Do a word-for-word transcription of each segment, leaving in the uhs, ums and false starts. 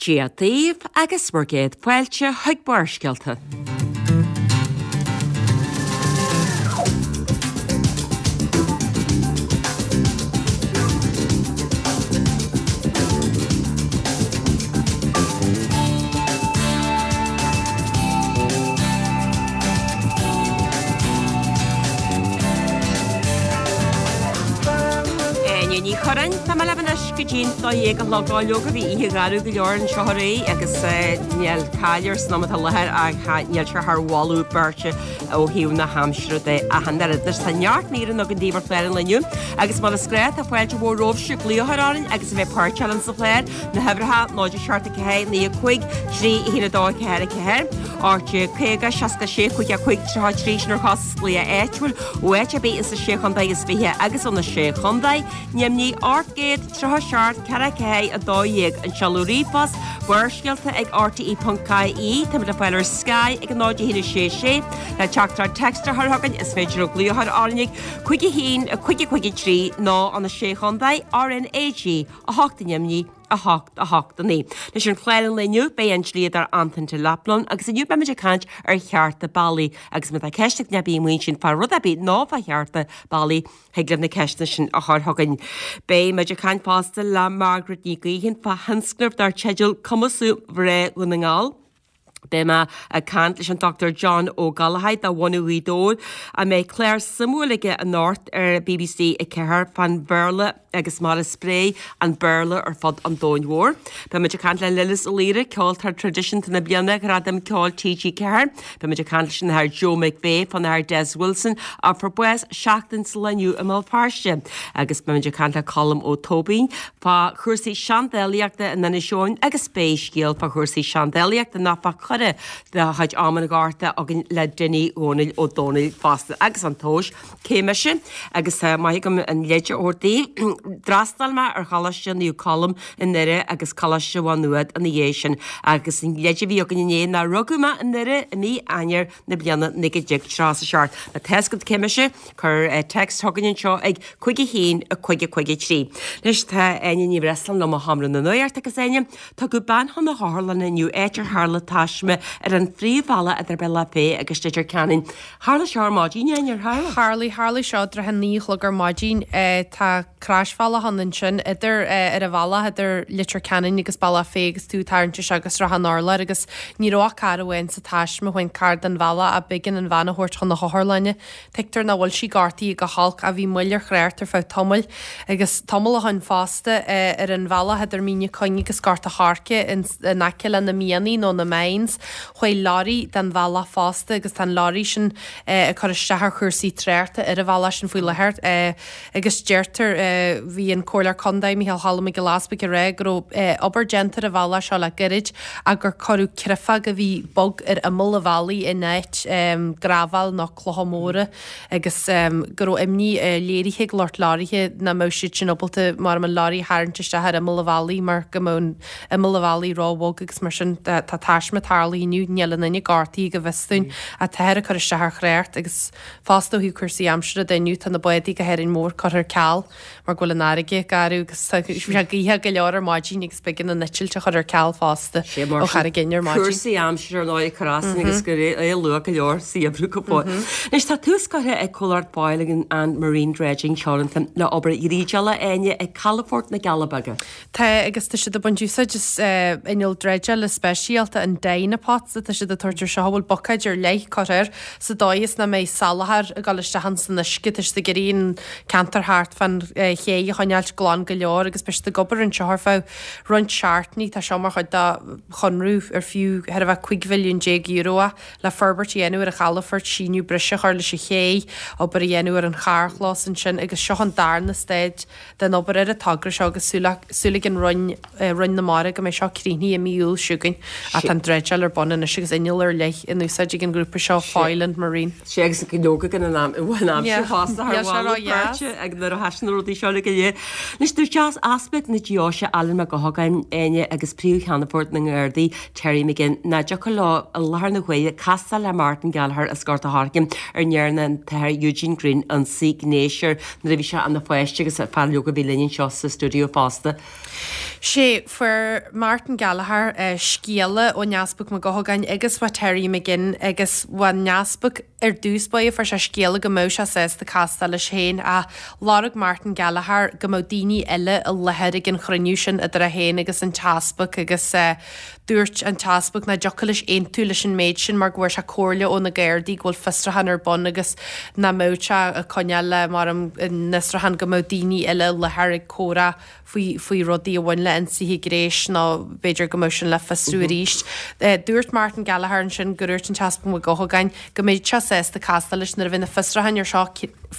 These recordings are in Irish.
Dia daoibh agus bhur gcéad fáilte chuig Barrscéalta. Áine Ní Churráin, tá mé libh anois go dtí'n dó dhéag a chlog. Ó leoga bhí oíche gharbh go leor anseo aréir agus níl caill air san am atá i láthair ach níl sé thar mholadh beirte ó thaobh na haimsire de ach an oiread. Anois tá neart míreanna againn daoibh ar chlár an lae inniu agus mar is gnách tá fáilte mhór romhaibhse glaoch a chur orainn agus a bheith páirteach linn sa chlár, na huimhreacha, náid a seacht a ceathair, naoi a cúig, trí a haon a dó a ceathair a ceathair, ocht déag caoga, seasca sé, cúig a cúig, tríocha a trí, sin ar chostas glaoch áitiúil ó áit ar bith insa Sé Chontae is Fiche agus ó na Sé Chontae. Neimnigh ocht gcéad tríocha seacht ceathair ceathair a dó dhéag an seoladh ríomhphost, Barrscéalta ag rte ponc ie, Táimid le fáil ar Sky ag a náid a haon a sé sé le teachtaireacht text a chur chugainn is féidir libh glaoch a chur orainn ag cúig a haon a cúig a cúig a trí nó ó na Sé Chontae, RnaG a hocht neimnigh a hocht a hocht a naoi. Anois ar chlár an lae inniu beidh an dlíodóir Antain Delap linn agus inniu beimid ag caint ar chearta ballaí agus má tá ceist ag duine ar bith amuigh ansin fá rud ar bith nó fá chearta ballaí thig libh na ceisteanna sin a chur chugainn. Beidh muid ag caint fosta le Margaret Ní Ghaoithin fá thionscnamh dar teideal Cumasú Mhná Dhún na nGall. Beidh mé ag caint leis an Dochtúir John Ó Gallchóir de bhunadh Ghaoth Dobhair a mbeidh clár suimiúil aige anocht ar B B C a ceathair fán Bhéarla agus mar a spréigh an Béarla ar fud an domhain mhóir. Beidh muid ag caint le Lillis Ó Laoire, Ceoltóir Traidisiúnta na Bliana, Gradam Ceoil T G ceathair. Beidh muid ag caint leis an Athair Joe McVeigh fán Athair Des Wilson a fuair bás seachtain sa lá inniu i mBéal Feirste. Agus beidh muid ag caint le Colm Ó Tóibín fá chúrsaí seandálaíochta in Inis Eoghain agus beidh scéal fá chúrsaí seandálaíochta nó fá choire de chuid am an Ghorta againn le Dinny Dhónaill Ó Dónaill fosta. Agus an tomhais, cé mise? Agus tá maith agam an leid a thabhairt daoibh. D'fhreastail mé ar Choláiste Naomh Colm i nDoire agus Coláiste Mhá Nuad ina dhiaidh sin agus an leid a bhí againn inné ná rugadh mé i nDoire i mí Eanáir na bliana naoi déag tríocha is a seacht. Má tá a fhios agat cé mise, cuir text chugainn anseo ag cúig a haon a cúig a cúig a trí. Anois tá Áine Ní Bhreisleáin liom ó Sheomra na Nuachta agus Áine, tugadh bean chun na hotharlainne inniu áit ar tharla taisme ar an phríomhbhealach idir Bealach Féich agus Leitir Ceanainn. Tharla seo ar maidin, Áine, ar tharla? Tharlaigh, tharlaigh seo i dtrátha a naoi a chlog ar maidin. Tá croisbhealach ann ansin idir, ar an bhealach idir Leitir Ceanainn agus Bealach Féich agus tú ag tarraingt isteach go Srath an Urláir agus ní raibh ach carr amháin sa taisme, chuaigh an carr den bhealach ach b'éigean an bhean a thabhairt chun na hotharlainne. Tuigtear nach bhfuil sí gortaithe go holc ach bhí moill ar thrácht ar feadh tamaill agus tamall ó shin fosta ar an bhealach idir Mín na Cuinge agus Gort a' Choirce in aice le na mianaigh nó na mines. Chuaigh leoraí den bhealach fosta agus tá an leoraí sin ag cur isteach ar chúrsaí tráchta ar an bhealach sin faoi láthair agus deirtear, bhí an Comhairleoir Contae Micheál Choilm Mac Giolla Easbuig ag rá go raibh obair déanta ar an bhealach seo le gairid ach gur cuireadh creafóg a bhí bog ar imeall an bhealaigh in áit graibhéil nó clocha móra agus go raibh imní léirithe ag lucht leoraithe nach mbeadh siad sin ábalta mar an leoraí a tharraingt isteach ar imeall an bhealaigh mar go mbeadh an imeall an bhealaigh ró-bhog agus mar sin tá taisme tarlaithe inniu, níl aon duine gortaithe go bhfios dúinn ach táthar ag cur isteach ar thrácht agus fosta ó thaobh cúrsaí aimsire de inniu tá na bádaí go hÁrainn Mhór curtha ar ceal mar go bhfuil an fharraige garbh agus tá sé gaothach go leor ar maidin agus b'éigean an eitilt a chur ar ceal fosta ó Charraig Fhinn ar maidin. Cúrsaí aimsire ar ndóigh ag cur as agus go é luath go leor sa gheimhreadh go fóill. Anois tá tús curtha ag comhlacht Foillan and Marine Dredging Teoranta le obair dhreideála Áine ag Calafort na gCealla Beaga. Tá agus tá siad ag baint úsáid as inneall dreideála speisialta, an Dynapots atá siad ag tabhairt air seo, a bhfuil buicéid ar leith curtha air sa dóigh is nach mbeidh salachar ag dul isteach ins an uisce. Tá siad ag iarraidh an ceantar thart fán ché a choinneáilt glan go leor agus beidh siad ag obair anseo ar feadh roinnt seachtainí. Tá seo mar chuid de chonradh ar fiú thar a bheith cúig mhilliún déag euro é le forbairt a dhéanamh ar an chalafort, síneadh breise a chur leis an ché, obair a dhéanamh ar an charrchlós ansin agus seo an darna staid den obair ar an togra seo agus súil ag an Roinn, Roinn na Mara go mbeidh seo críochnaithe i mí Iúil seo chugainn. Ach tá an dreideáil tástáil ar bun anois agus inneall ar leith in úsáid ag an ngrúpa seo Foyle and Marine. Sé agus go leoga gan an am an aimsir fosta thar bháil ag nuair a thaisn na rudaí seo le go léir. Anois dúirt Easpag na Deoise Alan Mac Gabhann Áine agus Príomh-Cheannfort na nGardaí Terry McGinn nach dtiocfadh leo i láthair na huaire castáil le Martin Gallagher as Gort a' Choirce ar ndearna an tAthair Eugene Greene ionsaí gnéis air nuair a bhí sé ina pháiste agus fear leoga a bhí linn anseo sa stiúideo fosta. Sé fuair Martin Gallagher uh, scéala ón Easpag Mac Gabhann agus ó Terry McGinn agus ón Easpag ar dtús báire fuair sé scéala go mbeadh sé sásta castáil leis féin a lorg Martin Gallagher go mbeadh daoine eile i láthair ag an chruinniú sin idir é féin agus an tEaspag agus uh, dúirt an tEaspag nach dtiocfadh leis aontú leis an méid sin mar go bhfuair sé comhairle ó na Gardaí go bhfuil fiosrúchán ar bun agus nach mbeadh sé ag coinneáil le mar an fhiosrúchán go mbeadh daoine eile i láthair ag comhrá faoi faoi rudaí a bhain le ionsaithe gnéis nó b'fhéidir go mbeadh sin le fiosrú arís. Uh, dúirt Martin Gallagher ansin gur dúirt an tEaspag Mac Gabhann go mbeidh sé sásta castáil leis nuair a bheidh na fiosrúcháin ar seo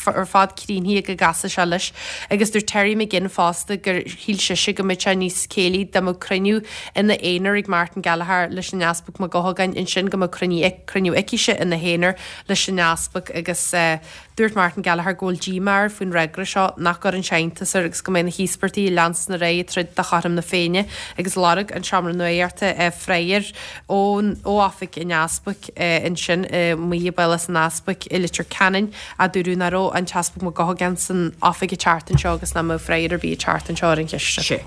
ar fad críochnaithe go gcasfaidh sé leis agus dúirt Terry McGinn fosta gur shíl sise go mbeadh sé níos céillí dá mbeadh cruinniú ina aonar ag Martin Gallagher leis an Easpag Mac Gabhann ansin go mbeadh cruinniú cruinniú aicise ina haonar leis an Easpag agus uh, dúirt Martin Gallagher go bhfuil díomá air faoin fhreagra seo nach gcuireann sé iontas air agus go mbeidh na híospartaigh ag leanstan ar aghaidh ag troid do chothrom na Féinne agus lorg an Seomra Nuachta freagra ón ó oifig an Easpaig ansin amuigh i bPálás an Easpaig i Leitir Ceanainn a dúradh nach raibh an tEaspag Mac Gabhann san oifig an tseachtain seo agus nach mbeadh freagra ar bith ag teacht anseo ar an cheist. Sé.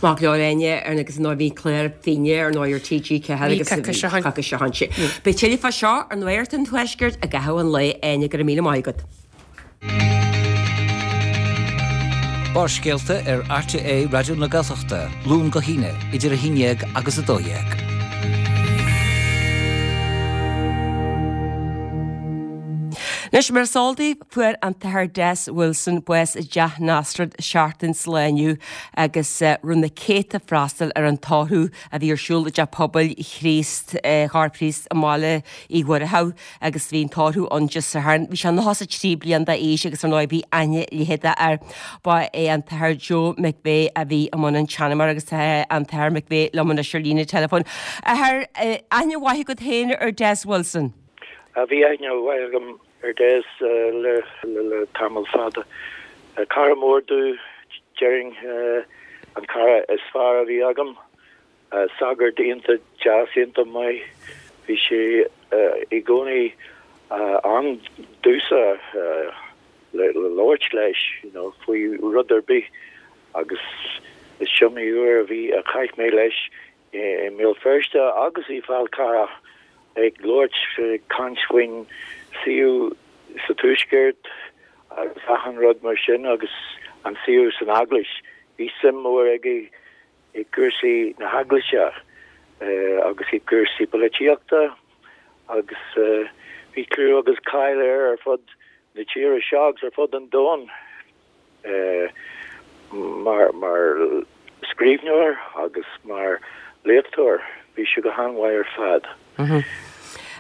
Maith go leor Áine ar agus nó bhí clár Féinne ar ndóigh ar TG ceathair agus coicís ó shin. Beidh tuilleadh fá seo ar Nuacht an Tuaiscirt i gcaitheamh an lae Áine go raibh míle maith agat. Barrscéalta ar RTÉ Raidió na Gaeltachta, Luan go hAoine, idir a haon déag agus a dó dhéag. Anois mar is eol daoibh fuair an tAthair Des Wilson bás i dTeach Nasrad seachtain sa lá inniu agus rinne na céadta freastal ar an tórramh a bhí ar siúl i dTeach Pobail Chríost Chorp Chríost i mBaile Uí Mhuircheadh agus bhí an tórramh ann Dé Sathairn. Bhí sé nócha is a trí bliain d'aois agus ar ndóigh bhí aithne leitheadach air. Ba é an tAthair Joe McVeigh a bhí i mbun an tseanmóra agus tá an tAthair McVeigh liom anois ar líne telefóin. Athair aithne mhaith agat féin ar Des Wilson. Bhí aithne mhaith agam ar Des le le tamall fada. Cara mór domh déarfainn an cara is fearr a bhí agam, sagart iontach deas iontach maith, bhí sé i gcónaí an-domsa le labhairt leis you know, faoi rud ar bith agus is iomaí uair a bhí a chaith mé leis i mBéal Feirste agus i Fál Carrach ag labhairt caint faoin saol sa tuaisceart agus achan rud mar sin agus an saol san eaglais. Bhí suim mór aige i gcúrsaí na heaglaise agus i gcúrsaí polaitíochta agus bhí clú agus cáil air ar fud na tíre seo agus ar fud an domhain mar mar scríbhneoir agus mar léachtóir. Bhí sé go han-mhaith ar fad. Mm -hmm.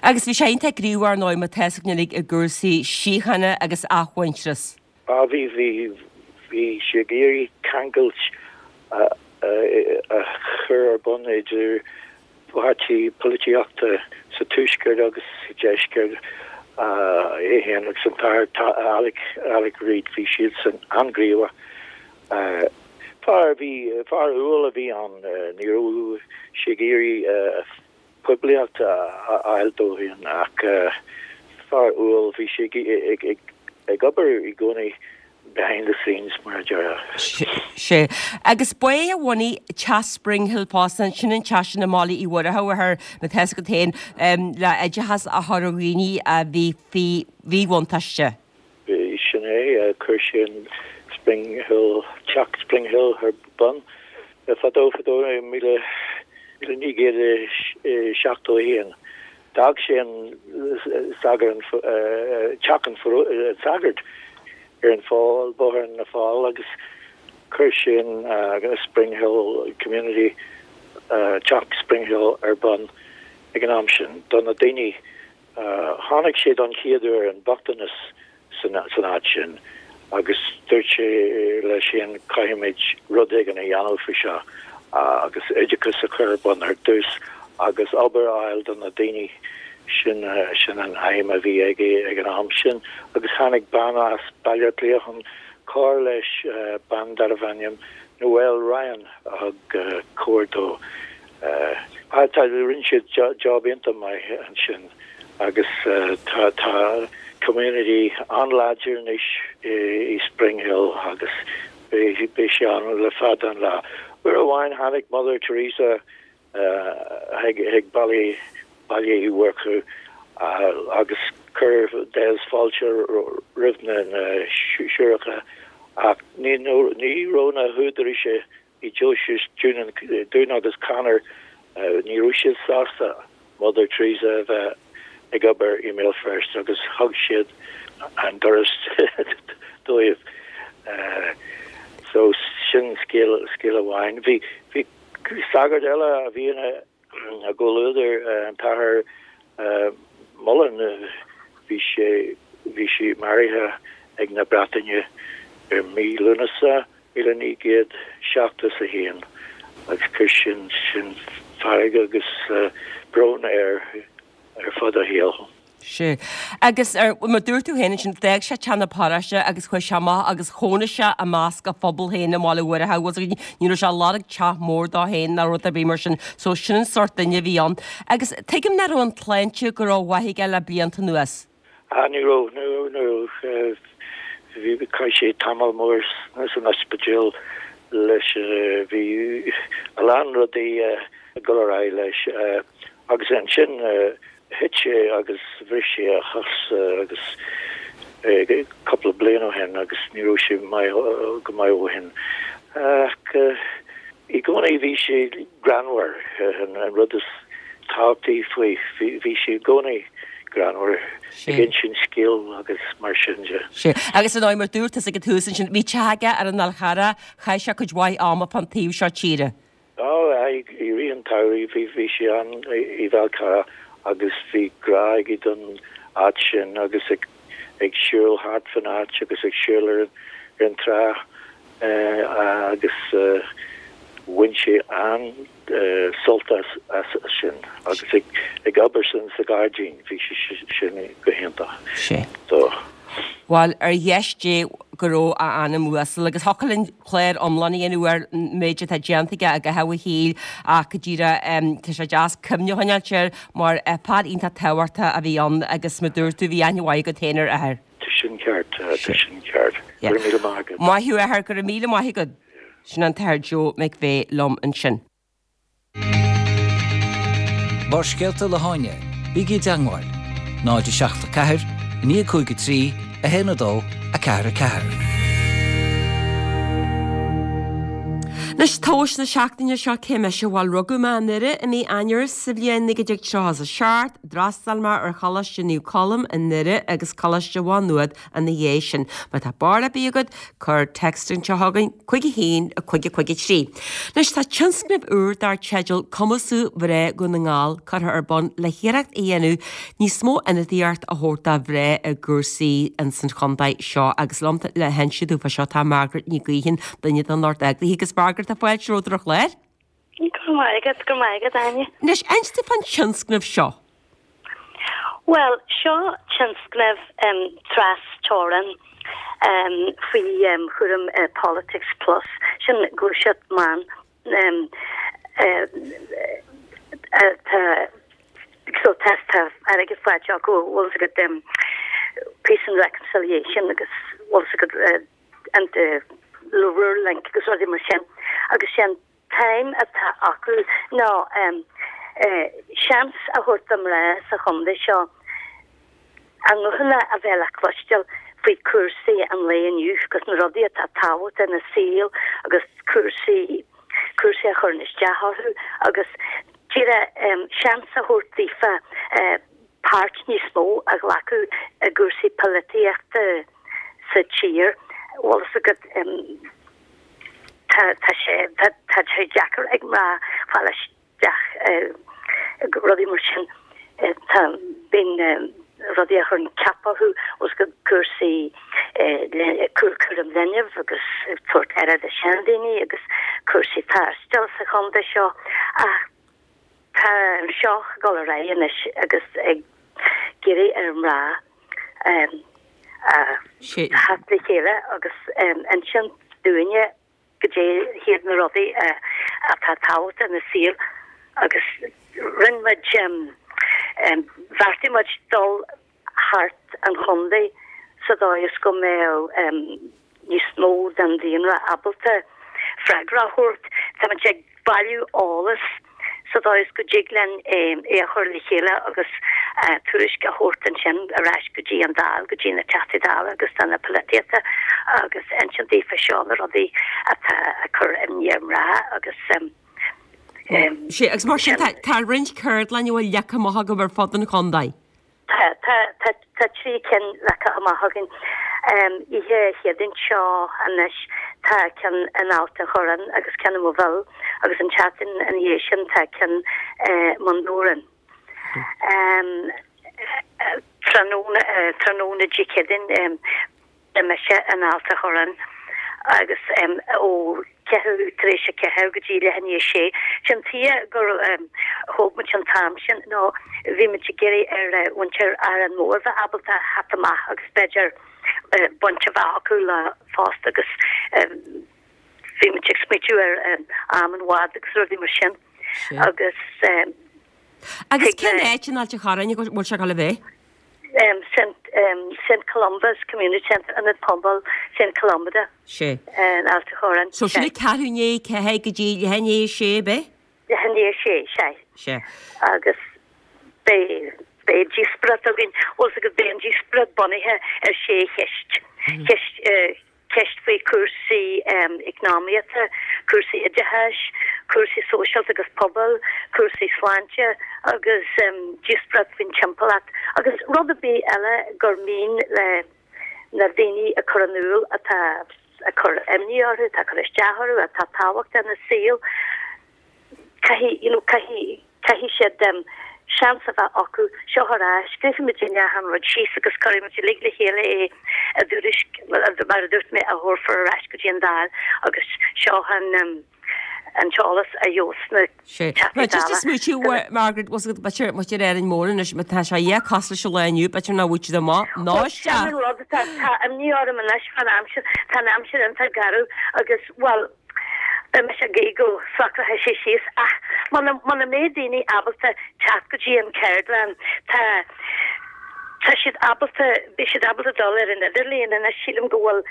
Agus bhí sé iontach gníomhach ar ndóigh má tá a fhios ag i gcúrsaí síochána agus athmhuintearas. Á bhí bhí bhí sé ag iarraidh ceangailt a a chur ar bun idir páirtí polaitíochta sa tuaisceart agus sa deisceart é féin agus an tAthair Alec Alec Reid bhí siadsan an-ghníomhach. Fear bhí fear umhal a bhí ann ní raibh sé ag iarraidh poiblíocht a fháil dó féin ach fear umhal bhí sé ag obair i gcónaí behind the scenes mar a déarfá. Sé. Agus ba é a bhunaigh Teach Springhill fosta sin an teach sin i mBaile Uí Mhuircheadha ar má tá a fhios agat féin le oideachas a chur ar dhaoine a bhí faoi mhíbhuntáiste. Sin é chuir sé an Springhill Teach Springhill ar bun fadó fadó míle míle naoi gcéad seachtó a haon. D'fhág sé an sagar an teach an sagart ar an Fál Bóthar na Fál agus chuir sé an Springhill Community Teach Springhill ar bun ag an am sin do na daoine tháinig sé don chéad uair an bochtanas san san áit sin agus dúirt sé leis féin caithfimid rud éigin a dhéanamh faoi seo agus oideachas a chur ar bun ar dtús agus obair a fháil do na daoine sin sin an aidhm a bhí aige ag an am sin agus tháinig bean as Baile Átha Cliath chun cur leis bean darbh ainm Noel Ryan a thug cabhair dó. Tá rinne siad job iontach maith ansin agus tá tá community an-láidir anois i Springhill agus beidh sé ann le fada an lá. Uair amháin tháinig Mother Teresa chuig Baile Baile Uí Mhurchú agus chuir Des fáilte roimh na na siúracha ach ní ní raibh na húdaráis i deoise Dún agus Conor ní raibh siad sásta Mother Teresa a bheith ag obair i mBéal Feirste agus thug siad an doras dóibh. So sin scéal scéal amháin. Bhí bhí sagart eile a bhí ina a gcomhluadar an tAthair Mullen bhí sé bhí sé maraithe ag na Breataine ar mí Lúnasa míle naoi gcéad seachtó is a haon agus chuir sin sin fearg agus brón air ar fud a shaoil. Sea. Agus ar, mar dúirt tú féin ansin, d'fhág sé teach na paróiste agus chuaigh sé amach agus chónaigh sé i measc a phobal féin i mBaile Mhúirche, bhfuil fhios agat, ní raibh sé ag lorg teach mór dó féin ná rud ar bith mar sin. So sin an sórt duine a bhí ann. Agus tuigim nach raibh an tsláinte go rómhaith aige le blianta anuas. Ah, ní raibh, ní raibh, ní raibh. Bhí, chaith sé tamall mór san ospidéal leis, bhí a lán rudaí ag dul ar aghaidh leis. Agus ansin thit sé agus bhris sé a chos agus cúpla bliain ó shin agus ní raibh sé maith go maith ó shin. Ach i gcónaí bhí sé greannmhar, an rud is tábhachtaí faoi, bhí sé i gcónaí greannmhar ag insint scéal agus mar sin de. Sea. Agus ar ndóigh, mar dúirt tusa ag an tús ansin, bhí teach aige ar an Fhál Charrach, chaith sé cuid mhaith ama fán taobh seo tíre. Á, i rith an tsamhraidh bhí bhí sé ann i bhFál Carrach agus bhí grá aige don áit sin agus ag ag siúl thart fan áit agus ag siúl ar an ar an trá agus bhain sé an-sult as as sin agus ag ag obair sin sa ghairdín bhí sé sin go hiontach. Sea. Dó. Bhuel, ar dheis Dé go raibh a anam uasal agus thiocfadh linn clár iomlán a dhéanamh ar an méid atá déanta aige i gcaitheamh a shaoil ach go díreach tá sé deas cuimhne a choinneáilt air mar fear iontach tábhachtach a bhí ann agus mar dúirt tú bhí aithne mhaith agat féin ar a athair. Tá sin ceart, tá sin ceart. Go raibh míle maith agat. Maith thú a athair, go raibh míle maith agat. Sin an tAthair Joe McVeigh liom ansin. Barrscéalta le hÁine, bígí i dteagmháil, náid a seacht a ceathair, a naoi cúig a trí, a haon a dó, a ceathair a ceathair. Anois tomhas na seachtaine seo cé mise? Bhuel, rugadh mé i nDoire i mí Eanáir sa bhliain naoi déag tríocha a seacht, d'fhreastail mé ar Choláiste Naomh Colm i nDoire agus Coláiste Mhá Nuad ina dhiaidh sin. Má tá barúil ar bith agat, cuir text anseo chugainn, cúig a haon, cúig a cúig a trí. Anois tá tionscnamh úr dar teideal Cumasú Mhná Dhún na nGall curtha ar bun le hiarracht a dhéanamh níos mó ionadaíocht a thabhairt do mhná i gcúrsaí ins an chontae seo agus liom le hinse dúinn fá seo tá Margaret Ní Ghaoithin, duine den lucht eagraithe agus Margaret tá fáilte romhat ar an chlár. Go raibh maith agat, go raibh maith agat, Áine. Anois, inis dúinn fán tionscnamh seo. Bhuel, seo tionscnamh um, tras-teorann um, faoi um, chúram uh, Politics Plus, sin gluaiseacht mban um, uh, uh, tá so tá tá airgead faighte acu bhfuil fhios agat um, Peace and Reconciliation agus bhfuil fhios agat uh, and uh, Rural Link agus rudaí mar sin agus sin t-aidhm atá acu ná um, uh, seans a thabhairt do mhná sa chontae seo a nguthanna a bheith le cloisteáil faoi cúrsaí an lae inniu agus na rudaí atá tábhachtach ina saol agus cúrsaí cúrsaí a chuireann isteach orthu agus díreach um, seans a thabhairt daofa uh, páirt níos mó a ghlacadh i gcúrsaí polaitíochta sa tír. Bhfuil fhios agat um, tá tá sé tá tá sé deacair ag mná fáil isteach uh, rudaí mar sin uh, tá bíonn um, rudaí a chuireann ceap orthu os go cúrsaí cúram leanbh agus tabhairt aire do sheandaoine agus cúrsaí taistil sa chontae seo ach Tá seo ag dul ar aghaidh anois agus ag iarraidh ar mná um, Sé. theacht le chéile agus um, insint dúinne goidé hiad na rudaí uh, atá tábhachtach ina saol agus rinne muid um, um, bheartaigh muid dul thart an chontae sa dóigh is go mbeadh um, níos mó den daonra ábalta freagra a thabhairt. Tá muid ag bailiú eolas sa dóigh is go dtig linn um, é a chur le chéile agus uh, tuairisc a thabhairt ansin ar ais go dtí an Dáil go dtí na Teachtaí Dála agus do na polaitíochta agus insint daofa seo na rudaí atá ag cur imní ar mná agus um, um, Sé agus mar sin tá tá roinnt ceardlann bhfuil leagtha amach agaibh ar fud an chontae. Tá tá tá tá trí cinn leagtha amach againn. Um, Oíche Chéadaoin seo anois tá ceann in Ailt an Chorráin agus ceann i Moville agus an tseachtain ina dhiaidh sin tá ceann uh, Bun Dobhráin. Um, tráthnóna uh, tráthnóna Dé Céadaoin um, beidh mise in Ailt an Chorráin agus um, ó ceathrú tar éis a ceathair go dtí leath i ndiaidh a sé. Sin tuige gur um, thóg muid an t-am sin nó bhí muid ag iarraidh ar uh, mhuintir Árainn Mhór bheith ábalta theacht amach agus b'fhéidir uh, baint a bheith acu le fosta agus um, bhí muid ag smaoitiú ar um, am an bháid agus rudaí mar sin Sé. agus um, Agus Tig cén le- áit in Ailt an Chorráin go bhfuil sé le bheith? um, Saint um, Saint Columba's Community Centre Ionad Pobail Saint Columba Sé. in Ailt an Chorráin. So sin ceathrú i ndiaidh a ceathair go dtí leath i ndiaidh a sé be? Leath i ndiaidh a sé sé. Sé. agus beidh beidh díospóireacht againn bhfuil agus beidh an díospóireacht bunaithe ar sé cheist. Ceist uh, ceist faoi cúrsaí um, eacnamaíochta, cúrsaí oideachais, cúrsaí sóisialta agus pobail, cúrsaí sláinte agus um, díospóireacht faoin timpeallacht agus rud ar bith eile gur mian le na daoine a chur in iúl atá ag cur imní orthu, atá cur isteach orthu, atá tábhachtach ina saol. Caithfidh you know, caithfidh caithfidh siad um, seans a bheith acu seo ar ais, scríobfaimid an rud síos agus cuirfimid uilig le chéile é i dtuairisc mar a dúirt mé a thabharfar ar ais go dtí an Dáil agus seo an um, an t-eolas a gheobhas na Sé. Teachtaí Right, just Dála. a smaoitiú Margaret was b'fhéidir muid ar Árainn Mhór anois má tá sé é cosúil leis an lá inniu b'fhéidir nach bhfuil siad amach ná Sin an rud tá tá imní orm anois fan aimsir tá an aimsir iontach garbh agus well beidh mise ag guí go socróidh sé síos ach muna muna mbeidh daoine ábalta teacht go dtí an ceardlann tá Tá siad ábalta beidh siad ábalta dul ar an idirlíon anois sílim go bhfuil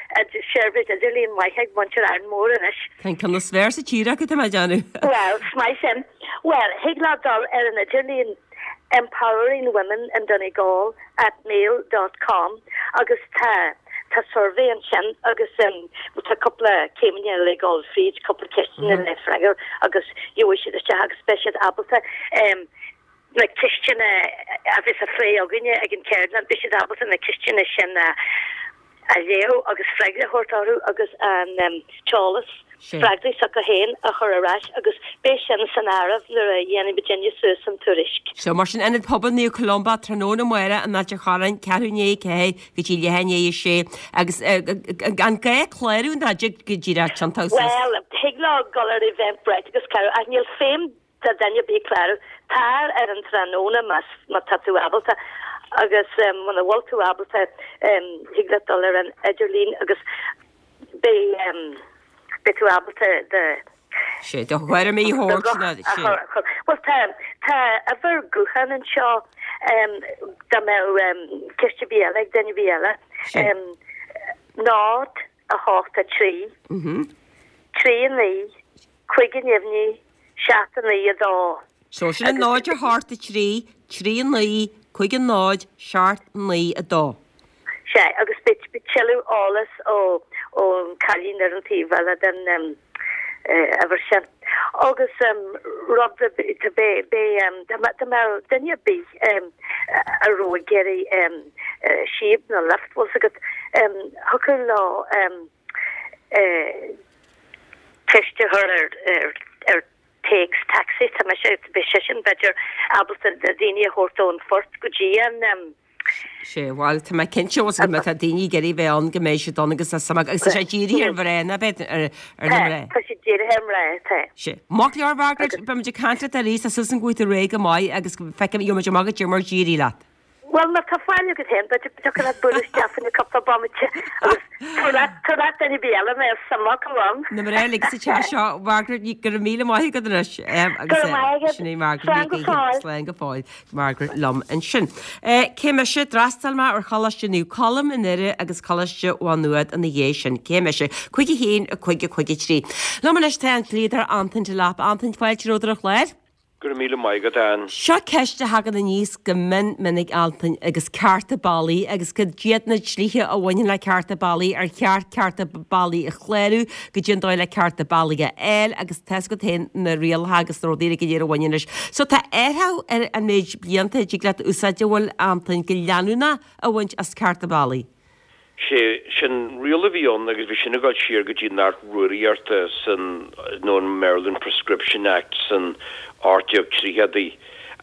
seirbhís idirlíon maith ag muintir Árainn Mhór anois. Tá ceann is fearr sa tír acu tá mé ag déanamh. Well, smai sin. Well, thig leo dul ar an idirlíon empowering women in Donegal at mail dot com agus tá tá survey ansin agus um, tá cúpla céimeanna le dul fríd cúpla ceisteanna le freagairt agus gheobhaidh siad isteach agus beidh siad ábalta um, na ceisteanna a bheas á phlé againne ag an ceardlann beidh siad ábalta na ceisteanna sin a a léamh agus freagra a thabhairt orthu agus an um, t-eolas Sin. freagraí s'acu féin a chur ar ais agus beidh sin san áireamh nuair a dhéanfaidh muidinne suas an tuairisc. So mar sin Ionad Pobail Naomh Columba tráthnóna amárach in Ailt an Chorráin ceathrú i ndiaidh a ceathair go dtí leath i ndiaidh a sé agus eh, an gá clárú ná go díreach tiontú Well, thig leo dul ar Eventbrite agus clárú ach níl feidhm do duine ar bith clárú tar ar an tráthnóna más má tá tú ábalta agus um, muna bhfuil tú ábalta um, thig leat dul ar an idirlíon agus beidh um, beidh tú ábalta de sé do chuir mé thuirt sé. Well tá tá uimhir gutháin anseo um, dá mbeadh um, ceist ar bith eile ag duine ar bith eile. Sé. Um, náid a hocht a trí, Mhm. trí a naoi, cúig a neamhní, seacht a naoi a dó. So sin an náid a hocht a trí, trí a naoi, cúig a náid, seacht naoi a dó. Sé agus beidh beidh tuilleadh eolas ó ón cailín ar an taobh eile den um, uh, uimhir sin. Agus um, rud a be be be um, dá mbeadh duine ar bith um, a raibh ag iarraidh um, uh, síob nó lift bhfuil agat um, thiocfadh leo um, uh, ceist a chur ar ar ar téacs taxi tá me sé be sé sin b'fhéidir ábalta daoine a thabhairt ón phort go dtí an um, Sé bhuel tá mé cinnte go mbeidh tá daoine ag iarraidh bheith ann go mbeidh siad ann agus tá agus tá sé dírithe ar mhná ná beidh ar ar na mná. Tá sé dírithe ar mhná tá. Sé. Maith go leor Margaret beimid ag caint leat arís tá súil agam go bhfuil tú réidh go maith agus feicim gheobhaimid amach goidé mar a d'éirigh leat. Bhuel má tá faill agat féin b'fhéidir go dtiocfadh leat bualadh isteach faoi na cúpla bomaite agus tabhair leat tabhair leat duine ar bith eile mé is suim acu ann. Na mná uilig sa teach seo Margaret go raibh míle maith agat anois agus Go raibh maith agat. sin é Margaret Slán Ní go Ghaoithe. fóill. Slán go fóill Margaret liom ansin. Cé mise? D'fhreastail mé ar Choláiste Naomh Colm i nDoire agus Coláiste Mhá Nuad ina dhiaidh sin. Cé mise? Cúig a haon, a cúig, a cúig a trí. Liom anois tá an dlíodóir Antain Delap. Antain, fáilte romhat ar an chlár. Go raibh míle maith agat, Ann. Seo ceist a thagann aníos go mion minic, Antain, agus cearta bealaigh agus cad iad na dlíthe a bhaineann le cearta bealaigh, ar cheart cearta bealaigh a chlárú, goidé an dóigh le cearta bealaigh a fháil agus tá 'fhios agat féin na rialacha agus na rudaí go léir a bhaineann leis. So tá athrú ar an méid blianta a dtig leat úsáid a bhfuil, Antain, go leanúnach a bhaint as cearta bealaigh. Sé sin riail a bhí ann agus bhí sin ag dul siar go dtí an Acht Rúraíochta san, nó an Maryland Prescription Act san ocht déag tríochadaí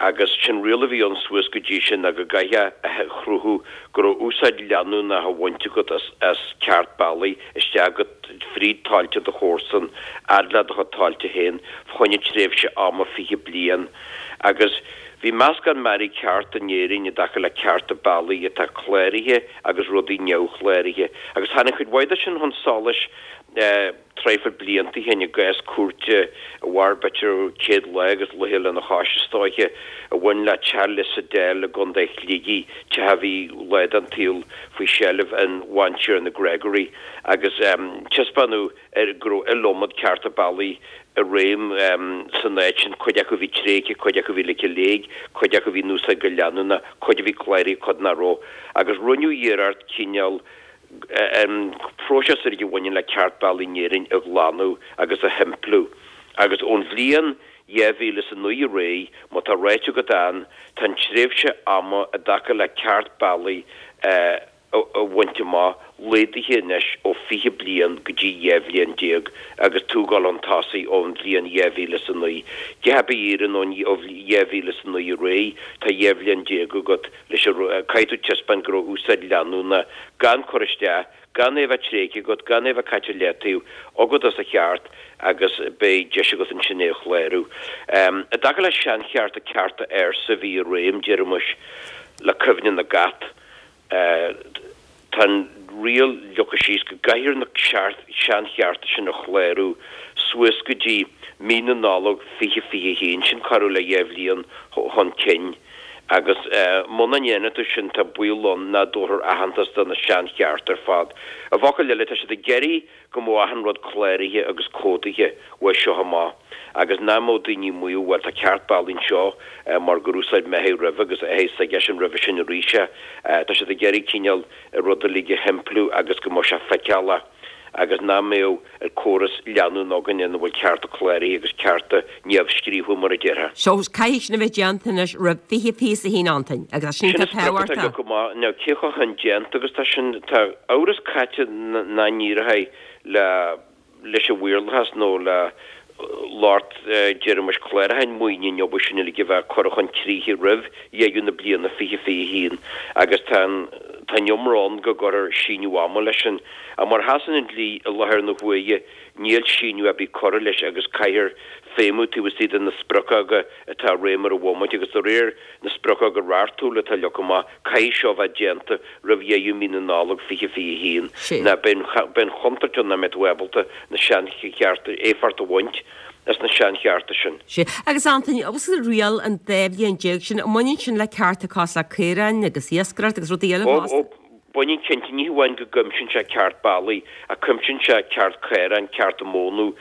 agus sin riail a bhí ann suas go dtí sin ná go gcaithfeá a chruthú go raibh úsáid leanúnach á bhaint agat as as ceart bealaigh isteach agat fríd tailte do chomharsan, fhad le do chuid tailte féin, fá choinne tréimhse ama fiche bliain agus Bhí meascán mearaí ceart in Éirinn i dtaca le cearta bealaigh atá cláraithe agus rudaí neamhchláraithe, agus tháinig cuid mhaith de sin chun solais traidhfil blianta ó shin i gcás cúirte a mhair b'fhéidir céad lá agus laetha lena chois, is dóiche, a bhain le teach Lissadell i gContae Shligigh, teach a bhí lá den tsaol faoi sheilbh an Bhantiarna Gregory, agus taispeánadh ar go raibh iliomad cearta bealaigh i réim san áit sin, cuid acu a bhí tréigthe, cuid acu a bhí ligthe i léig, cuid acu a bhí in úsáid go leanúnach, cuid a bhí cláraithe, cuid nach raibh. Agus rinneadh iarracht cineál an próiseas uilig a bhaineann le ceart bealaigh in Éirinn a ghlanadh agus a shimpliú. Agus ón bhliain dhá mhíle is a naoi ar aghaidh, má tá ráite agat ann, tá an tréimhse ama i dtaca le ceart bealaigh a a bhaint amach, laghdaithe anois ó fiche bliain go dtí dhá bhliain déag agus tú ag dul chun tosaigh ón bhliain dhá mhíle is a naoi. Cé hé a iarrann ón ó dhá mhíle is a naoi ar aghaidh, tá dhá bhliain déag agat leis an caithfidh tú taispeáint go raibh úsáid leanúnach, gan cur isteach, gan é a bheith tréigthe agat, gan é a bheith caite i leataobh agat as a cheart agus beidh deis agat ansin é a chlárú. I dtaca le seanchearta, cearta ársa a bhí i réim, déarfaimis, le cuimhne na gcat, Tá an riail leagtha síos go gcaithfear na seanchearta sin a chlárú suas go dtí mí na Nollag fiche fiche a haon, sin corradh le dhá bhliain chun cinn, agus muna ndéanann tú sin tá baol ann nach dtabharfar aitheantas do na seanchearta ar fad. I bhfocail eile, tá siad ag iarraidh go mbeadh achan rud cláraithe agus comhdaithe uaidh seo amach agus nach mbeadh daoine ag maíomh bhuel tá ceart bealaigh anseo mar gur úsáid mé é roimhe agus é s'aige sin roimhe sin arís é. Tá siad ag iarraidh cineál an rud uilig a shimpliú agus go mbeadh sé feiceálach agus nach mbeadh an córas leanúnach againn ina bhfuil cearta cláraithe agus cearta neamhscríofa mar a déarfá. So caithfidh sin a bheith déanta anois roimh fiche fiche is a haon Antain agus sin Sin atá an sprioc atá tábhachtach. leagtha amach. Now cé chomh hindéanta agus tá sin, tá amhras caite nach n-éireoidh le leis an mhaorlathas nó le lucht déarfaimis cláracháin maoine an obair sin uilig a bheith curtha chun críche roimh dheireadh na bliana fiche fiche a haon agus tá an tá an iomrá ann go gcuirfear síneadh ama leis sin. Ach mar a sheasann an dlí i láthair na huaire níl síneadh ar bith curtha leis agus caithfear feidhmiú taobh istigh de na spriocdháta atá i réim ar an bhomaite agus de réir na spriocdháta reachtúla atá leagtha amach, caithfidh seo bheith déanta roimh dheireadh mí na Nollag fiche fiche a haon nó beidh an chontúirt ann nach mbeidh tú ábalta na seanchearta, éifeacht a bhaint as na seanchearta sin. Sea. Agus Antain, agus an riail an dá bhliain déag sin, an mbaineann sin le cearta cosúil le caoráin agus iascaireacht agus rudaí eile Ó, fosta? ó, baineann cinnte. Ní hamháin go gcuimsíonn sé ceart bealaigh, ach cuimsíonn sé ceart caorán, cearta mónadh,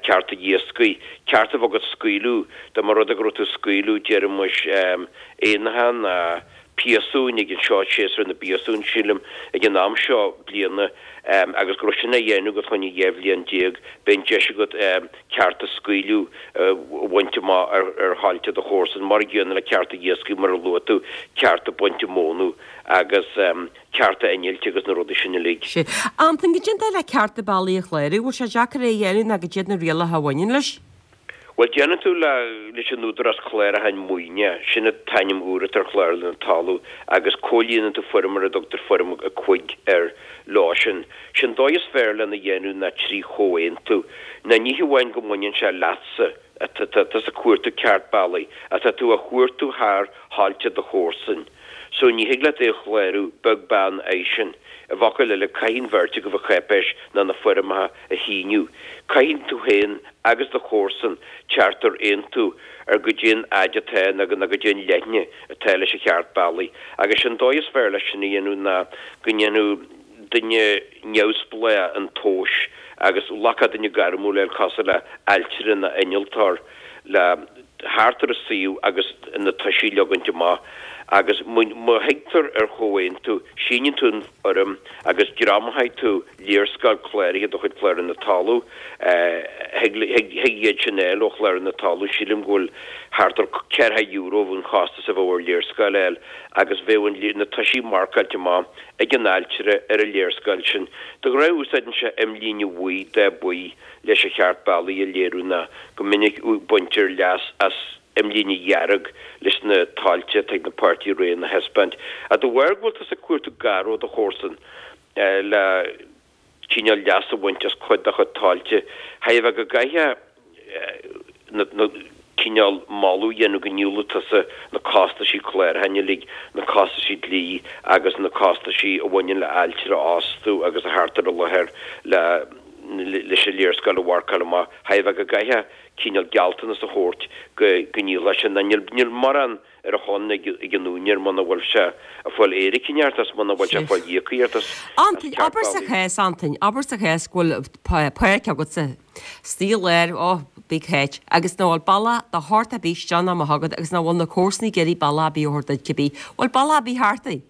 cearta iascaigh, ceart a bheith agat scaoileadh, dá mba rud é go raibh tú ag scaoileadh, déarfaimis, éanacha ná piasúin ag an seo, séasúr na bpiasún, sílim, ag an am seo bliana, agus go raibh sin á dhéanamh agat fá choinne dhá bhliain déag, beidh an deis agat cearta scaoileadh a bhaint amach ar thailte do chomharsan, mar an gcéanna le cearta iascaigh mar a luaigh tú, cearta bainte mónadh agus cearta innilt agus na rudaí sin uilig. Sea. Antain, goidé an dóigh le cearta bealaigh a chlárú, bhfuil sé deacair é a dhéanamh nó goidé iad na rialacha a bhaineann leis? Bhuel, déanann tú le leis an Údarás Clárúcháin Maoine, sin an t-ainm úr atá ar Chlárlann na Talún, agus comhlíonann tú foirm ar a dtugtar Foirm a cúig air leo sin. Sé'n dóigh is fearr lena dhéanamh ná trí chomhaontú. Ná ní hamháin go mbaineann sé leatsa, atá tusa ag cuartú ceart bealaigh, ach tá tú á chuartú thar thailte do chomharsan. So ní thig leat é a chlárú, beag beann airsean. I bhfocail eile, caithfidh an bheirt agaibh an cháipéis ná na foirmeacha a shíniú. Caithfidh tú féin agus do chomharsan teacht ar aontú ar goidé an fhaid atá nó nó goidé an leithne atá leis an cheart bealaigh. Agus sé'n dóigh is fearr leis sin a dhéanamh ná go ndéanfadh duine neamhspleách an tomhas agus ghlacfadh duine gairmiúil é cosúil le ailtire nó innealtóir le theacht ar an suíomh agus na toisí a leogaint amach agus má thigtear ar chomhaontú, síníonn tú an fhoirm agus greamóidh tú léarscáil cláraithe de chuid Chlárlann na Talún. Thig iad sin a fháil ó Chlárlann na Talún, sílim go bhfuil thart ar ceathracha euro an chostas a bheadh ar léarscáil a fháil agus bheadh na toisí marcáilte amach ag an ailtire ar an léarscáil sin. De ghnáth úsáideann sé imlíne bhuí, dath buí, leis an cheart bealaigh a léiriú ná go minic baintear leas as imlíne dhearg leis na tailte atá ag na páirtithe araon a thaispeáint. Ach de bharr go bhfuil tusa ag cuartú gar ó do chomharsan le cineál leas a bhaint as cuid dá chuid tailte, chaithfeadh a bheith go gcaithfeá na cineál moladh a dhéanamh go ndíolfadh tusa na costaisí clárúcháin uilig, na costaisí dlí agus na costaisí a bhaineann le ailtire a fhostú agus a theacht ar an láthair le leis an léarscáil a mharcáil amach. Chaithfeadh a bheith go gcaithfeá cineál gealltanas a thabhairt go go ndíolfá sin. Níl níl mórán ar a shon ag ag an úinéir muna bhfuil sé ag fáil éiric ort as muna bhfuil sé ag fáil íocaíocht as Antain, abair sa chás, Antain, abair sa chás go bhfuil páirc agatsa istigh i lár, ó, big H, agus nach bhfuil bealach de shórt ar bith isteach ná amach agat agus nach bhfuil na comharsana ag iarraidh bealach ar bith a thabhairt duit cibé. Bhfuil bealach ar bith thart é?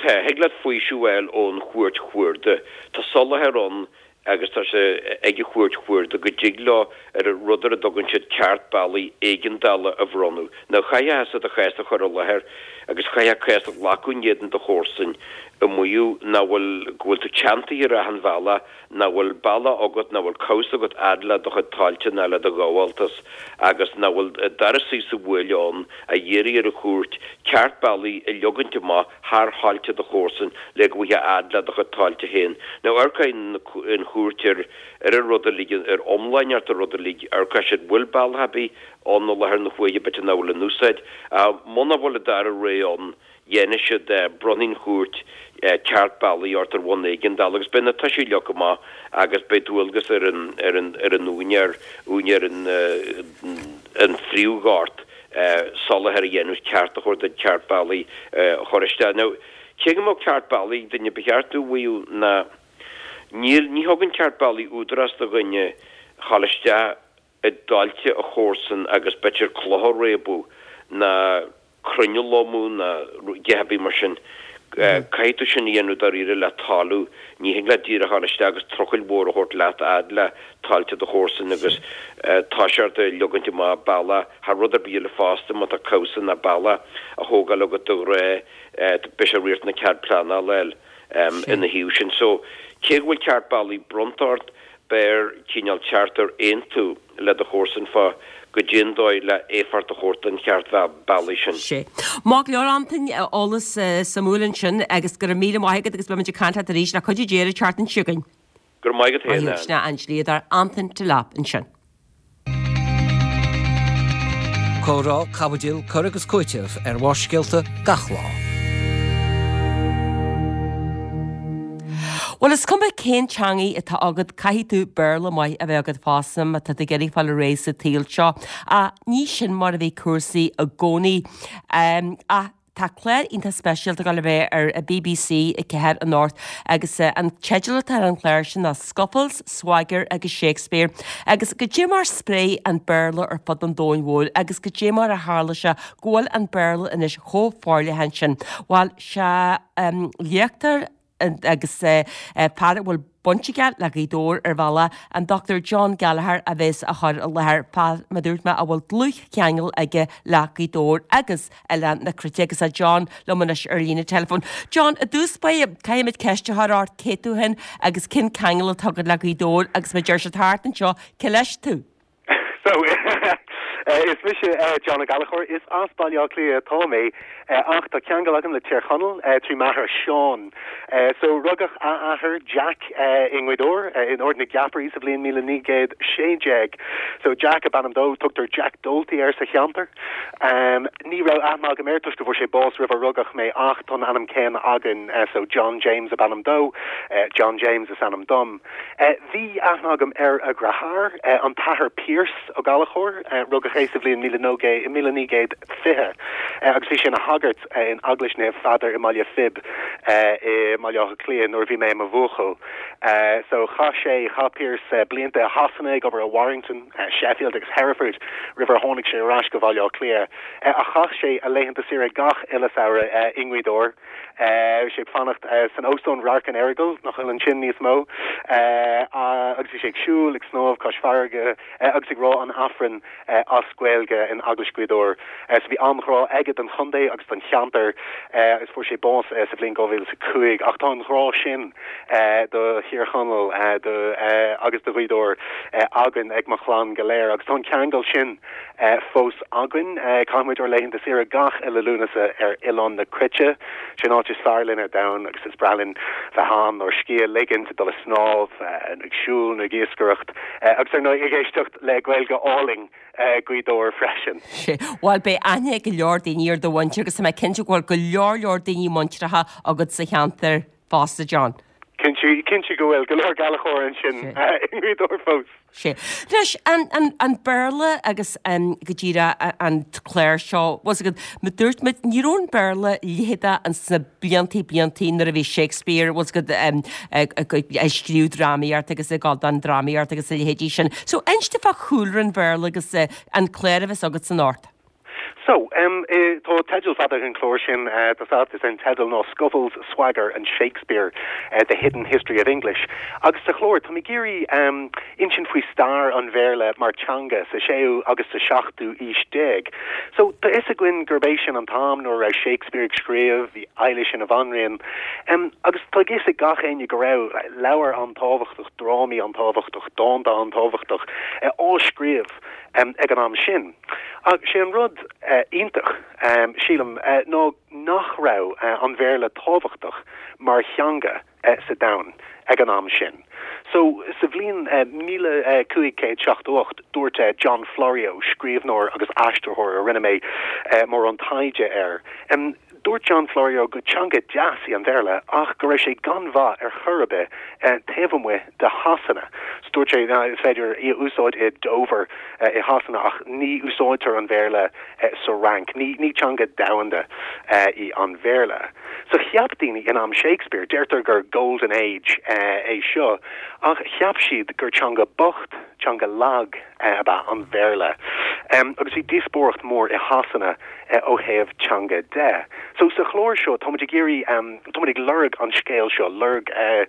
Tá, thig leat faoiseamh a fháil ón Chúirt Chuarda. Tá soláthar ann agus tá sé ag an Chúirt Chuarda go dtig leo ar an rud ar a dtugann siad ceart bealaigh éigeandála a bhronnadh. Now chaithfeá thusa do chás a chur i láthair agus chaithfeá cás a ghlacadh in éadan do chomharsain ag maíomh nach bhfuil, go bhfuil tú teanntaithe ar achan bhealach, nach bhfuil bealach agat, nach bhfuil cabhsa agat fhad le do chuid tailte ná le do ghabháltas agus nach bhfuil doras sa bhuaile ann a iarraidh ar an chúirt ceart bealaigh a leogaint amach thar thailte do chomharsan le go bhfaighfeá fhad le do chuid tailte féin. Now amharcfaidh an chúirt ar ar an rud uilig, ar iomlánaíocht an rud uilig, amharcfaidh siad bhfuil bealach ar bith ann i láthair na huaire b'fhéidir nach bhfuil in úsáid. Muna bhfuil an dara rogha ann, dhéanfaidh siad, bronnfaidh an chúirt ceart bealaigh ort ar bhonn éigeandála agus beidh na toisí leagtha amach agus beidh dualgas ar an ar an ar an úinéir, úinéir an an phríomhghort soláthar a dhéanamh ceart a thabhairt duit ceart bealaigh a chur isteach. Now, cé go mbeadh ceart bealaigh ag duine, ba cheart domh a mhaíomh ná níl, ní thugann ceart bealaigh údarás do dhuine dhul isteach i dtailte a chomharsan agus b'fhéidir cloch a réabadh ná crainn a lomadh ná a dhath ar bith mar sin. Caithfidh tú sin a dhéanamh dáiríre le toiliú. Ní thig leat díreach a dhul isteach agus trucail mhór a thabhairt leat a fhad le tailte do chomharsan agus toiseacht ag leogaint amach bealach thar rud ar bith eile fosta má tá cabhsa ná bealach á thógáil agat de ghnáth beidh sé riachtanach cead pleanála a fháil ina thaobh sin. So cé go bhfuil ceart bealaigh bronnta ort, b'fhearr cineál teacht ar aontú le do chomharsan fá goidé an dóigh le éifeacht a thabhairt don cheart bealaigh sin. Sea. Maith go leor, Antain, eolas suimiúil ansin agus go raibh míle maith agat agus beimid ag caint leat arís le cuidiú Dé ar an tseachtain seo chugainn. Go raibh maith agat féin, Ann. Sin an dlíodóir Antain Delap ansin. Comhrá, caibidil, cur agus cúiteamh ar Bharrscéalta gach lá. Bhuel, is cuma cén teangaidh atá agat, caithfidh tú Béarla maith a bheith agat fosta má tá tú ag iarraidh fáil ar aghaidh sa tsaol seo. Ach ní sin mar a bhí cúrsaí i gcónaí. Ach tá clár iontach speisialta ag dul a bheith ar BBC a ceathair anocht agus an teideal atá ar an chlár sin ná Scuffles, Swagger agus Shakespeare. Agus goidé mar spréigh an Béarla ar fud an domhain mhóir agus goidé mar a tharla sé go bhfuil an Béarla anois chomh forleathan sin. Bhuel, sé léachtóir agus fear a bhfuil baint aige le Gaoth Dobhair ar bhealach, an Dochtúir John Gallagher a bheas á chur i láthair, fear, mar a dúirt mé, a bhfuil dlúthcheangal aige le Gaoth Dobhair agus Oileán na Cruite agus tá John liom anois ar líne teileafóin. John, i dtús báire, caithfimid ceist a chur ort, cé tú féin agus cén ceangal atá agat le Gaoth Dobhair agus mar a deir siad thart anseo, cé leis tú? So is mise John Ó Gallchóir is as Baile Átha Cliath atá mé ach tá ceangal agam le Tír Chonaill trí m'athair Seán. So rugadh a athair Jack i nGaoth Dobhair in Ard na gCeapairí sa bhliain míle naoi gcéad sé déag. So Jack ab ainm dó tugtar Jack Doalty air sa cheantar. Um, ní raibh aithne agam air toisc go bhfuair sé bás roimh a rugadh mé ach tá an ainm céanna againn so John James ab ainm dó, John James is ainm dom. Bhí aithne agam ar a dheartháir, an tAthair Pearse Ó Gallchóir, rugadh é sa bhliain míle míle naoi gcéad fiche agus bhí sé ina shagart in Eaglais Naomh Pheadair i mBaile Phib i mBaile Átha Cliath nuair a bhí mé i mo bhuachaill. So chaith sé chaith Pearse blianta i Shasana ag obair i Warrington, Sheffield agus Hereford roimh ar tháinig sé ar ais go Baile Átha Cliath. Ach chaith sé a laethanta saoire gach uile samhradh i nGaoth Dobhair. Bhí sé ag fanacht san óstán Radharc an Earagail nach bhfuil ansin níos mó agus bhí sé ag siúl ag snámh cois farraige agus ag rá an Aifrinn as Gaeilge in Eaglais Ghaoth Dobhair. So bhí an-ghrá aige don chontae agus don cheantar agus fuair sé bás sa bhliain dhá mhíle is a cúig ach tá an grá sin do Thír Chonaill agus do Ghaoth Dobhair againn ag mo chlann go léir agus tá an ceangal sin fós againn. Caithfidh muid ár laethanta saoire gach uile Lúnasa ar Oileán na Cruite, sin áit is fearr linn ar domhan agus is breá linn bheith ann ár scíth a ligint, dul ag snámh, nó ag siúl nó ag iascaireacht agus ar ndóigh ag éisteacht le Gaeilge álainn Ghaoth Dobhair freisin. Bhuel beidh aithne ag go leor daoine ar do mhuintir agus tá mé cinnte go bhfuil go leor leor daoine muinteartha agat sa cheantar fosta John. Cinnte, cinnte go bhfuil go leor Gallchóir ansin i nGaoth Dobhair fós. Sé. Anois, an, an, an Béarla agus um, go díreach an clár seo, was agat, ma dúirt muid, ní raibh an Béarla leitheadach ins na bliantaí bliantaí nuair a bhí Shakespeare, was agat, um, ag, ag, ag scríobh drámaíocht agus ag gabháil don drámaíocht agus a leithéidí sin. So, inis dom fá chúlra an Bhéarla agus uh, an clár a bheas agat anocht. So, um, eh, tá teideal fada an chlár sin uh, tá is an teideal ná Scuffles, Swagger and Shakespeare, uh, The Hidden History of English. Agus sa chlár tá mé ag iarraidh um, insint faoi stair an Bhéarla mar teanga sa séú agus sa seachtú aois déag. So tá fhios againn gurb é sin an t-am nuair raibh Shakespeare ag scríobh, bhí Eilish ina bhanríon. Um, agus tá fhios ag gach éinne go raibh leabhair an-tábhachtach, drámaí an-tábhachtach, dánta an-tábhachtach uh, á scríobh um, ag an am sin. Ach sé an rud uh, iontach um, sílim uh, ná nach raibh uh, an Bhéarla tábhachtach mar theanga uh, sa domhan ag an am sin. So sa bhliain uh, míle uh, cúig céad seachtó ocht dúirt uh, John Florio, scríbhneoir agus aistritheoir a rinne mé uh, mórán taighde air. Um, dúirt John Florio go teanga deas í an Bhéarla ach go raibh sé gan mhaith ar chor ar bith uh, taobh amuigh de Shasana. So dúirt sé is féidir í a úsáid i Dover uh, i Shasana ach ní úsáidtear an Bhéarla uh, sa Fhrainc, ní, ní teanga domhanda uh, í an Bhéarla. So cheap daoine in am Shakespeare, deirtear gur Golden Age uh, é seo, ach cheap siad gur teanga bocht, teanga lag uh, ab ea an Bhéarla. Um, agus bhí díospóireacht mór i Shasana uh, ó thaobh teanga de. So sa chlár seo tá ag iarraidh um, tá ag lorg an scéal seo lorg uh,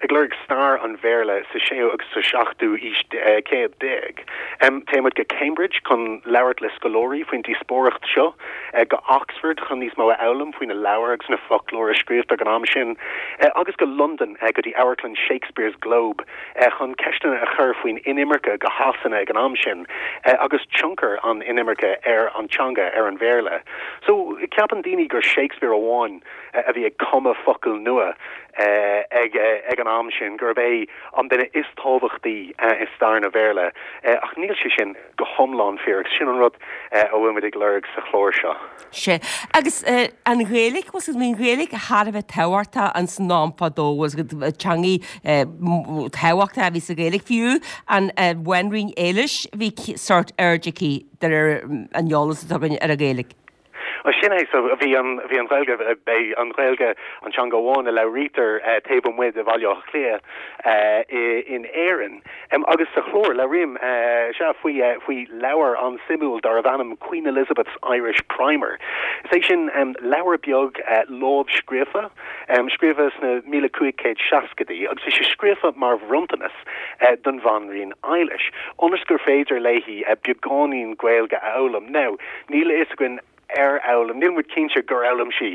ag lorg stair an Bhéarla sa séú agus sa seachtú aois uh, céad déag. Um, Téimid go Cambridge chun labhairt le scoláirí faoin díospóireacht seo uh, go Oxford chun níos mó a fhoghlaim faoi na leabhair agus na foclóir a scríobhtar ag an am sin uh, agus go London uh, go dtí Amharclann Shakespeare's Globe uh, chun ceisteanna a chur faoin inimirce go Shasana ag an am sin uh, agus tionchar an inimirce ar an teanga ar an Bhéarla. So ceapann daoine gur Shakespeare amháin uh, a bhí ag cumadh focail nua uh, ag, uh, ag an am sin gurb é an duine is tábhachtaí uh, i stair na Béarla uh, ach níl sé sin go hiomlán fíor sin an rud uh, a bhfuil muid ag lorg sa chlár seo. Sé agus uh, an Ghaeilge was an Ghaeilge thar a bheith tábhachtach an san am fadó was teanga tábhachtach a bhí sa Ghaeilge fiú an Bhanríon Éilis bhí sórt aird aici an eolas atá ar an Ghaeilge. Sin é so bhí an bhí an Ghaeilge b'é an Ghaeilge an teanga amháin a labhraítear uh, taobh amuigh de Bhaile Átha Cliath uh, in Éirinn. Um, agus sa chlár labhraím uh, se faoi uh, faoi leabhar an-suimiúil darbh ainm Queen Elizabeth's Irish Primer. Is é sin um, leabhar beag uh, lámhscríofa um, scríofa sna míle cúig céad seascaidí, agus bhí sé scríofa mar bhronntanas uh, don Bhanríon Eilish. Ionas gur féidir léi uh, beagáinín Gaeilge a fhoghlaim. Now, níl a fhios againn ar fhoghlaim níl muid cinnte gur fhoghlaim sí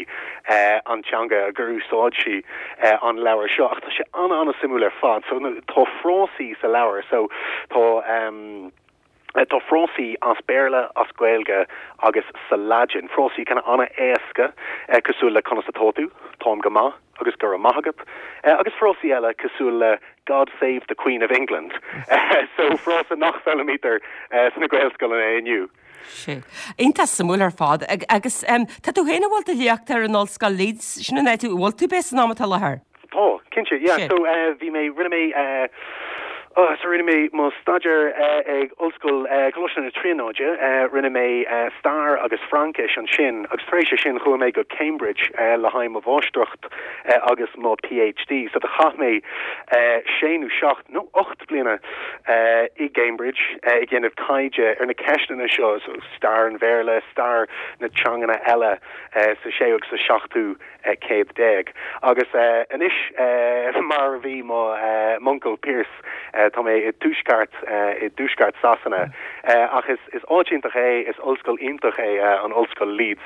uh, an teanga gur úsáid sí uh, an leabhar seo ach tá sé an an-suimiúil ar fad so tá frásaí sa leabhar so tá um, Tá frásaí as Béarla, as Gaeilge agus sa Laidin, frásaí kind of an-éasca cosúil le conas atá tú, táim go maith agus go raibh maith agat, agus frásaí eile cosúil le God save the Queen of England. So frása nach bhfoghlaimítear sna Gaelscoileanna inniu. Sea. Iontach suimiúil ar fad. Agus tá tú féin ag dul ag léacht ar an Ollscoil Leeds, sin an áit a bhfuil tú b'ea san am atá i láthair? Tá, cinnte, yeah. So bhí mé, rinne mé, oh, so rinne mé mo staidéar ag Ollscoil Coláiste na Tríonóide, rinne mé stair agus Fraincis ansin agus tar éis sin chuaigh mé go Cambridge le haghaidh mo mháistreacht agus mo PhD. So do chaith mé sé nó seacht nó ocht bliana i gCambridge ag déanamh taighde ar na ceisteanna seo, so stair an Bhéarla, stair na teanganna eile sa séú agus sa seachtú céad déag. Agus anois mar a bhí mo m'uncail Pearse, tá mé i dtuaisceart i dtuaisceart Sasana. Ach is is áit iontach é, is ollscoil iontach é an Ollscoil Leeds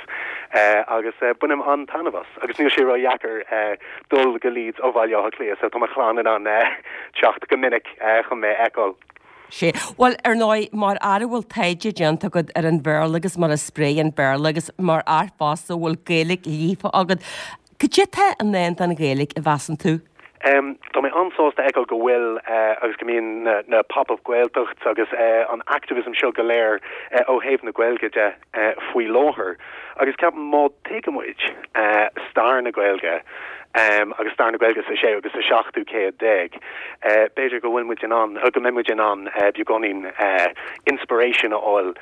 agus bainim an-taitneamh as. Agus níl sé ródheacair dul go Leeds ó Bhaile Átha Cliath, so tá mo chlann in ann teacht go minic chun mé a fheiceáil. Sea. Bhuel, ar ndóigh, mar fhear a bhfuil taighde déanta agat ar an Bhéarla agus mar a spréigh an Béarla agus mar fhear fosta a bhfuil Gaeilge líofa agat, cad é atá i ndán don Ghaeilge, a mheasann tú? Tá mé an-sásta a fheiceáil go bhfuil agus go mbíonn na na pop-up Gaeltacht agus an activism seo go léir ó thaobh na Gaeilge de faoi láthair. Agus ceapaim má tuigeann muid stair na Gaeilge agus stair na Gaeilge sa séú agus sa seachtú céad déag, b'fhéidir go bhfuil muid in ann, go mbeidh muid in ann beagáinín inspiration a fháil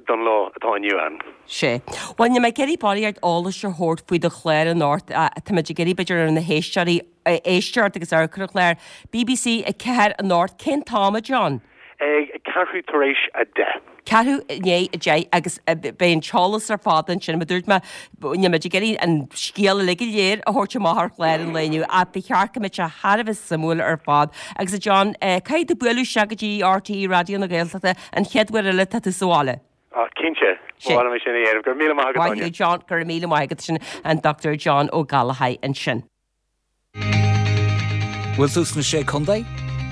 don lá atá inniu ann. Sea. Bhuel, níl mé ag iarraidh barraíocht eolais a thabhairt faoi do chlár anocht. Táimid ag iarraidh, b'fhéidir, ar na héisteoirí éisteacht agus amharc ar an chlár. BBC a ceathair anocht. Cén t-am, a John? Ag ceathrú tar éis a deich. Ceathrú i ndiaidh a deich agus beidh an t-eolas ar fad ansin. Mar a dúirt mé, níl muid ag iarraidh an scéal uilig go léir a thabhairt amach ar chlár an lae inniu ach ba cheart go mbeadh sé thar a bheith suimiúil ar fad. Agus a John, caithfidh tú bualadh isteach go dtí RTÉ Raidió na Gaeltachta an chéad uair eile tá tú sa bhaile. Ah, cinnte. Ba mhaith liom é sin a dhéanamh. Go raibh míle maith agat, Áine. Maith thú, John. Go raibh míle maith agat. Sin an Dochtúir John Ó Gallchóir ansin. Bhfuil tú sna Sé Contae?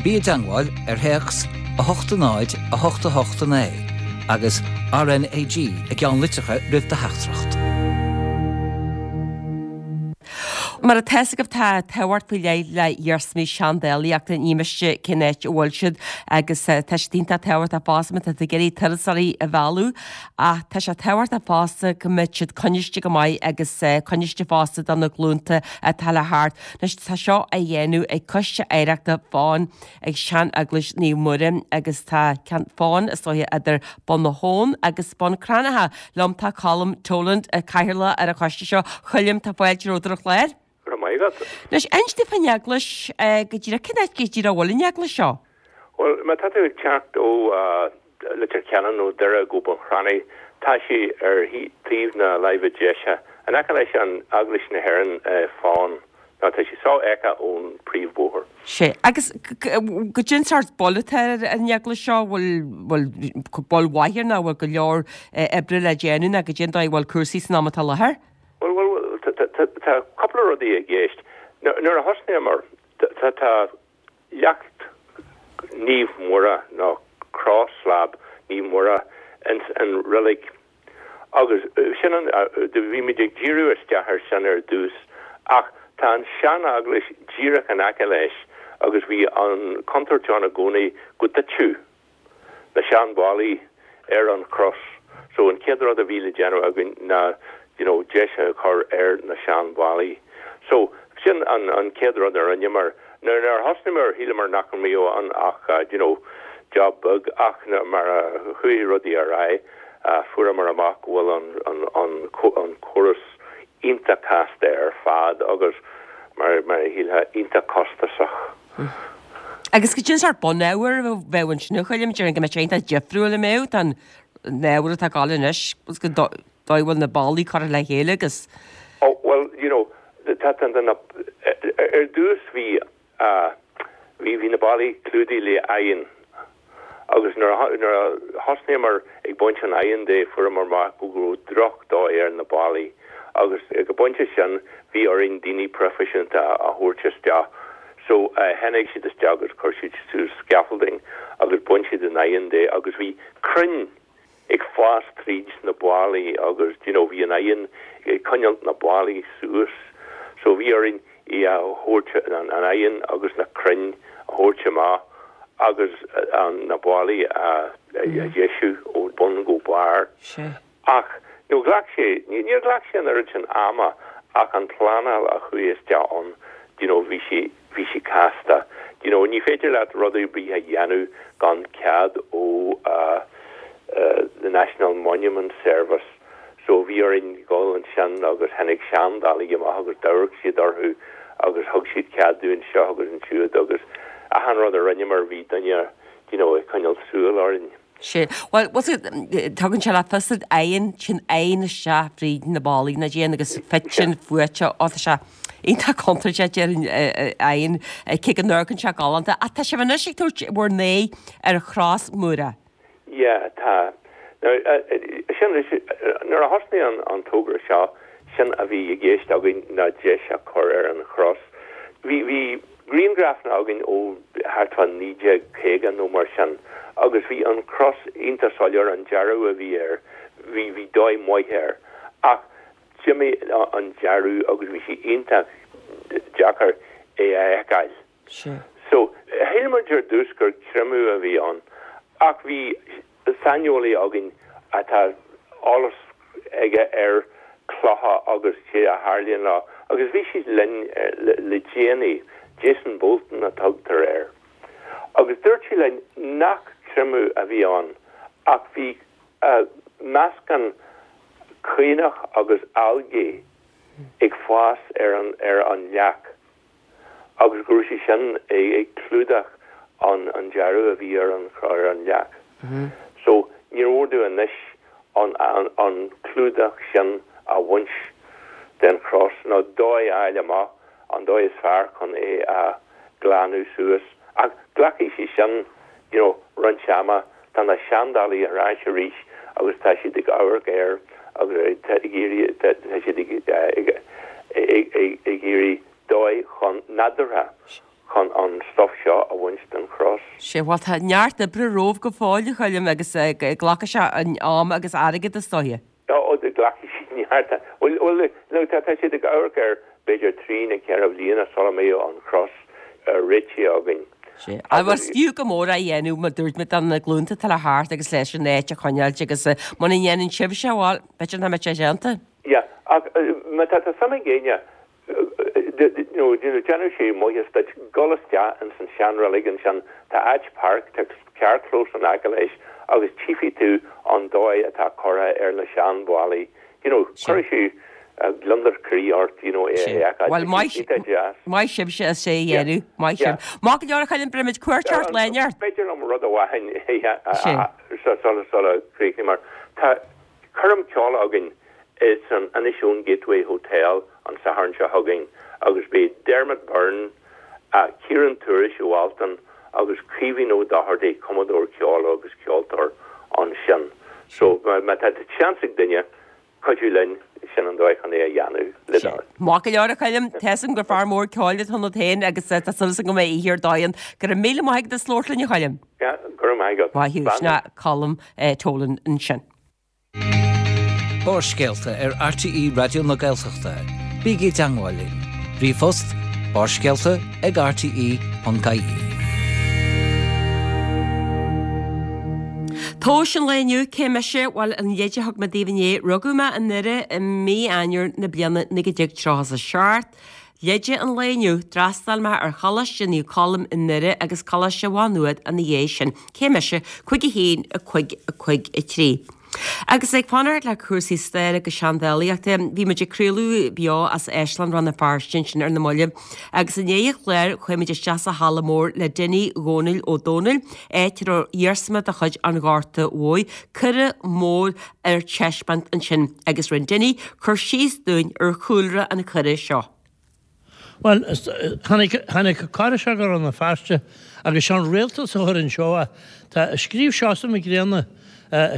Bí i dteangmháil ar théacs a hocht a náid a hocht a hocht a naoi agus RnaG i gceannlitreacha roimh do theachtaireacht. Mar atá a fhios agaibh tá tábhacht faoi leith le hiarsmaí seandálaíochta, ní miste cén áit a bhfuil siad agus tá siad iontach tábhachtach fosta má tá tú ag iarraidh turasóirí a mhealladh ach tá sé tábhachtach fosta go mbeadh siad coinniste go maith agus coinniste fosta do na glúnta atá le theacht. Anois tá seo á dhéanamh ag Coiste Oidhreachta Fáin ag Sean-Eaglais Naomh Muire agus tá ceann fáin is dóiche idir Bun na hAbhann agus Bun Cranncha. Liom tá Colm Toland, Cathaoirleach ar an choiste seo. Choilm, tá fáilte romhat ar an chlár. Go raibh maith agat. Anois, inis dúinn faoin eaglais go díreach, cén áit go díreach a bhfuil an eaglais seo? Bhuel, má tá tú ag teacht ó Leitir Ceanainn nó Doire go Bun Cranncha, tá sé ar thaobh na láimhe deise, in aice leis an Eaglais na hÉireann, Fán. Nó tá sé sofheicthe ón príomhbhóthar. Sea. Agus goidé an sórt bail atá ar an eaglais seo, bhfuil, bhfuil bail mhaith air nó bhfuil go leor oibre le déanamh nó goidé an dóigh a bhfuil cúrsaí san am atá i láthair? Bhuel, bhuel, tá cúpla rudaí i gceist. Nuair a thosnaíomar, tá, tá leacht Naomh Muire nó cross slab Naomh Muire ins an reilig agus sin an, bhí muid ag díriú isteach ar sin ar dtús ach tá an sean-eaglais díreach in aice leis agus bhí an chontúirt ann i gcónaí go dtitfeadh na seanbhallaí ar an chros so an chéad rud a bhí le déanamh againn ná you know deis a chur ar na seanbhallaí. So sin an an chéad rud a rinneamar. Nuair a thosnaíomar shíleamar nach mbeadh ann ach you know job beag ach mar a chuaigh rudaí ar aghaidh fuaireamar amach go bhfuil an an an an córas iontach casta ar fad agus mar mar a shílfeá iontach costasach. Agus goidé an sórt bunábhar a bheadh ansin a Choilm, déarfainn go mbeadh sé iontach difriúil an mbeadh don ábhar atá ag gabháil anois agus an dóigh a bhfuil na ballaí curtha le chéile agus. Oh well you know tá tá na ar dtús bhí bhí bhí na ballaí clúdaithe le oigheann agus nuair a nuair a thosnaíomar ag baint an oighinn de fuaireamar amach go raibh drochdhóigh ar na ballaí agus ag an bpointe sin bhí orainn daoine proifisiúnta a thabhairt isteach So tháinig siad isteach agus chuir siad suas scaffolding agus bhain siad an oigheann de agus bhí crainn ag fás tríd na ballaí agus you know bhí an oigheann ag coinneáil na ballaí suas. So bhí orainn í a thabhairt an an oigheann agus na crainn a thabhairt amach agus an na ballaí a a dheisiú ó bun go barr. Ach nó ghlac sé níor ghlac sé an oiread sin ama ach an pleanáil a chuaigh isteach ann you know bhí sé bhí sé casta. You know ní féidir leat rud ar bith a dhéanamh gan cead ó uh, uh, the National Monument Service. So bhí orainn dul ansin agus tháinig seandálaí amach agus d'amharc siad orthu agus thug siad cead dúinn seo agus ansiúd agus achan rud a rinneamar bhí duine you know ag coinneáil súil orainn. Sé well was it tugann sé le fios oigheann sin oigheann isteach fríd na ballaí na díon agus fite fuaite ó tá sé iontach contúirteach déarfainn oigheann cé go n-amharcann sé galánta ach tá sibh anois ag tabhairt bhur n-aghaidh ar chros Mhuire. Yeah, tá. Now, sin nuair a thosnaigh an an togra seo sin a bhí i gceist againn ná deis a chur ar an chros. Bhí bhí grianghrafanna againn ó thart fá naoi déag caoga nó mar sin agus bhí an cros iontach soiléir an dearadh a bhí air bhí bhí dóigh maith air ach d'imigh an dearadh agus bhí sé iontach deacair é a fheiceáil. So shíl muid ar dtús gur creimeadh a bhí ann ach bhí saineolaí againn atá eolas aige ar clocha agus cé a tharlaíonn leo agus bhí sé linn le déanaí, Jason Bolton a tugtar air. Agus dúirt sé linn nach creimeadh a bhí ann ach bhí meascán caonach agus algae ag fás ar an ar an leac agus go raibh sé sin ag clúdach an an dearadh a bhí ar an ar an leac. So níor mhór dúinn anois an an an clúdach sin a bhaint den chros nó dóigh a fháil amach an dóigh is fearr chun é a ghlanadh suas. Ach glacfaidh sé sin you know roinnt ama tá na seandálaí ar ais arís agus tá siad ag amharc air agus tá ag iarraidh tá siad ag ag ag ag iarraidh dóigh chun nádúrtha chun an stuff seo a bhaint den chros. Sé bhuel tá neart oibre romhaibh go fóill a Choilm agus glacfaidh sé an am agus airgead is dóiche. Ó glacfaidh sé neart bhuel bhuel no tá tá siad ag amharc ar b'fhéidir trí nó ceithre bhliana sula mbeidh an chros réitithe againn. Sé. Agus fiú go mór a dhéanamh mar dúirt mé do na glúnta atá le theacht agus leis an áit a choinneáilt agus muna ndéanann sibhse bhuel b'fhéidir nach mbeidh sé déanta. Yeah, ach má tá tá suim ag éinne you know, déanfaidh sé maitheas duit dul isteach ins an seanreilig ansin tá áit páirc tá carrchlós in aice leis agus tchífidh tú an dóigh atá curtha ar na seanbhallaí you know, cuirfidh sé gliondar croí ort you know, é a fheiceáil. Bhuel maith Iontach deas. maith sibhse as é a dhéanamh, maith Yeah. sibh. Maith go leor a Choilm beirfimid cuairt ort lá inteacht. B'fhéidir liom rud amháin Sé. sula sula gcríochnaím mar tá coirm ceoil againn is an Inishowen Gateway Hotel an Satharn seo chugainn agus beidh Dermot Byrne, uh, Ciarán Tourish ó Altan agus Caoimhín Ó Dochartaigh cumadóir ceoil agus ceoltóir ansin. So má má tá seans ag duine cuidiú linn sin an dóigh chun é a dhéanamh le Sé. Maith go leor a Choilm, tá a fhios agam gur fear mór ceoil atá ionat féin agus tá súil agam go mbeidh oíche ar dóigh ann. Go raibh míle maith agat as labhairt linn a Choilm. Yeah, go raibh maith agat. Maith thú, Slán. Sin é Colm eh, Tolan ansin. Barrscéalta ar RTÉ Raidió na Gaeltachta. Bígí i dteagmháil linn. Ríomhphost barrscéalta ag rte ponc ie. Tomhas an lae inniu cé mise bhuel an leid a thug mé daoibh inné rugadh mé i nDoire i mí Eanáir na bliana naoi déag tríocha is a seacht. Leid an lae inniu d'fhreastail mé ar Choláiste Naomh Colm i nDoire agus Coláiste Mhá Nuad ina dhiaidh sin. Cé mise cúig a haon a cúig a cúig a trí. Agus ag fanacht le cúrsaí staire agus seandálaíochta, bhí muid ag craoladh beo as Áislann Rann na Feirste ansin ar na mallaibh, agus i ndiaidh an chláir chuaigh muid isteach sa halla mór le Dinny Dhónaill Ó Dónaill, áit a raibh iarsma de chuid an Ghorta Mhóir, coire mór ar taispeáint ansin, agus rinne Dinny cur síos dúinn ar chúlra an choire seo. Bhuel, tháinig tháinig coire seo go Rann na Feirste agus sé an rialtas a chuir anseo é. Tá scríobh Seosamh Mac Grianna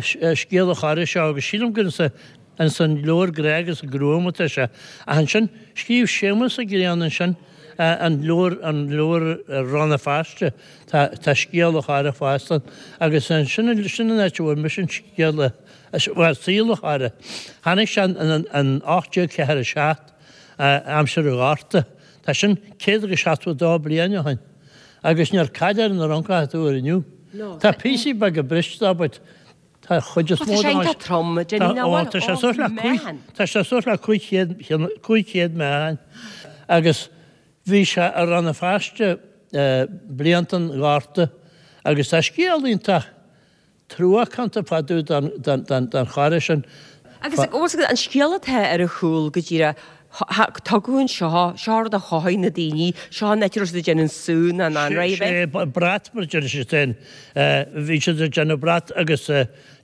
scéal an choire seo agus sílim gur ins an leabhar Grá agus Gruaim atá sé. Ach ansin scríobh Séamus Ó Grianna ansin An leabhar, an leabhar Rann na Feirste, tá, tá scéal an Churraigh fosta agus sin, sin an áit a bhfuair mise an scéal, bhuel, saol an Churraigh. Tháinig sé in, in ocht déag ceathair a seacht, aimsir an Ghorta. Tá sin céad agus seachtó a dó bliain ó shin. Agus níor cailleadh ar an Fhrancach atá uair inniu. Tá píosaí beaga briste dó but tá chuid is mó Tá sé iontach trom, Dinny, nach bhfuil? Tá sé suas le cúig, tá sé suas le cúig chéad, cúig chéad meáchain. Agus bhí sé i Rann na Feirste blianta an Ghorta agus tá scéal iontach truacánta fá dtaobh den churach sin. Agus an scéal atá ar a chúl go díreach, tugadh anseo, seo rud a chothaigh na daoine, seo an áit a raibh siad ag déanamh an sú nó an anraith a bheith. Sé brat mar a deir siad féin, bhí siad ag déanamh brat agus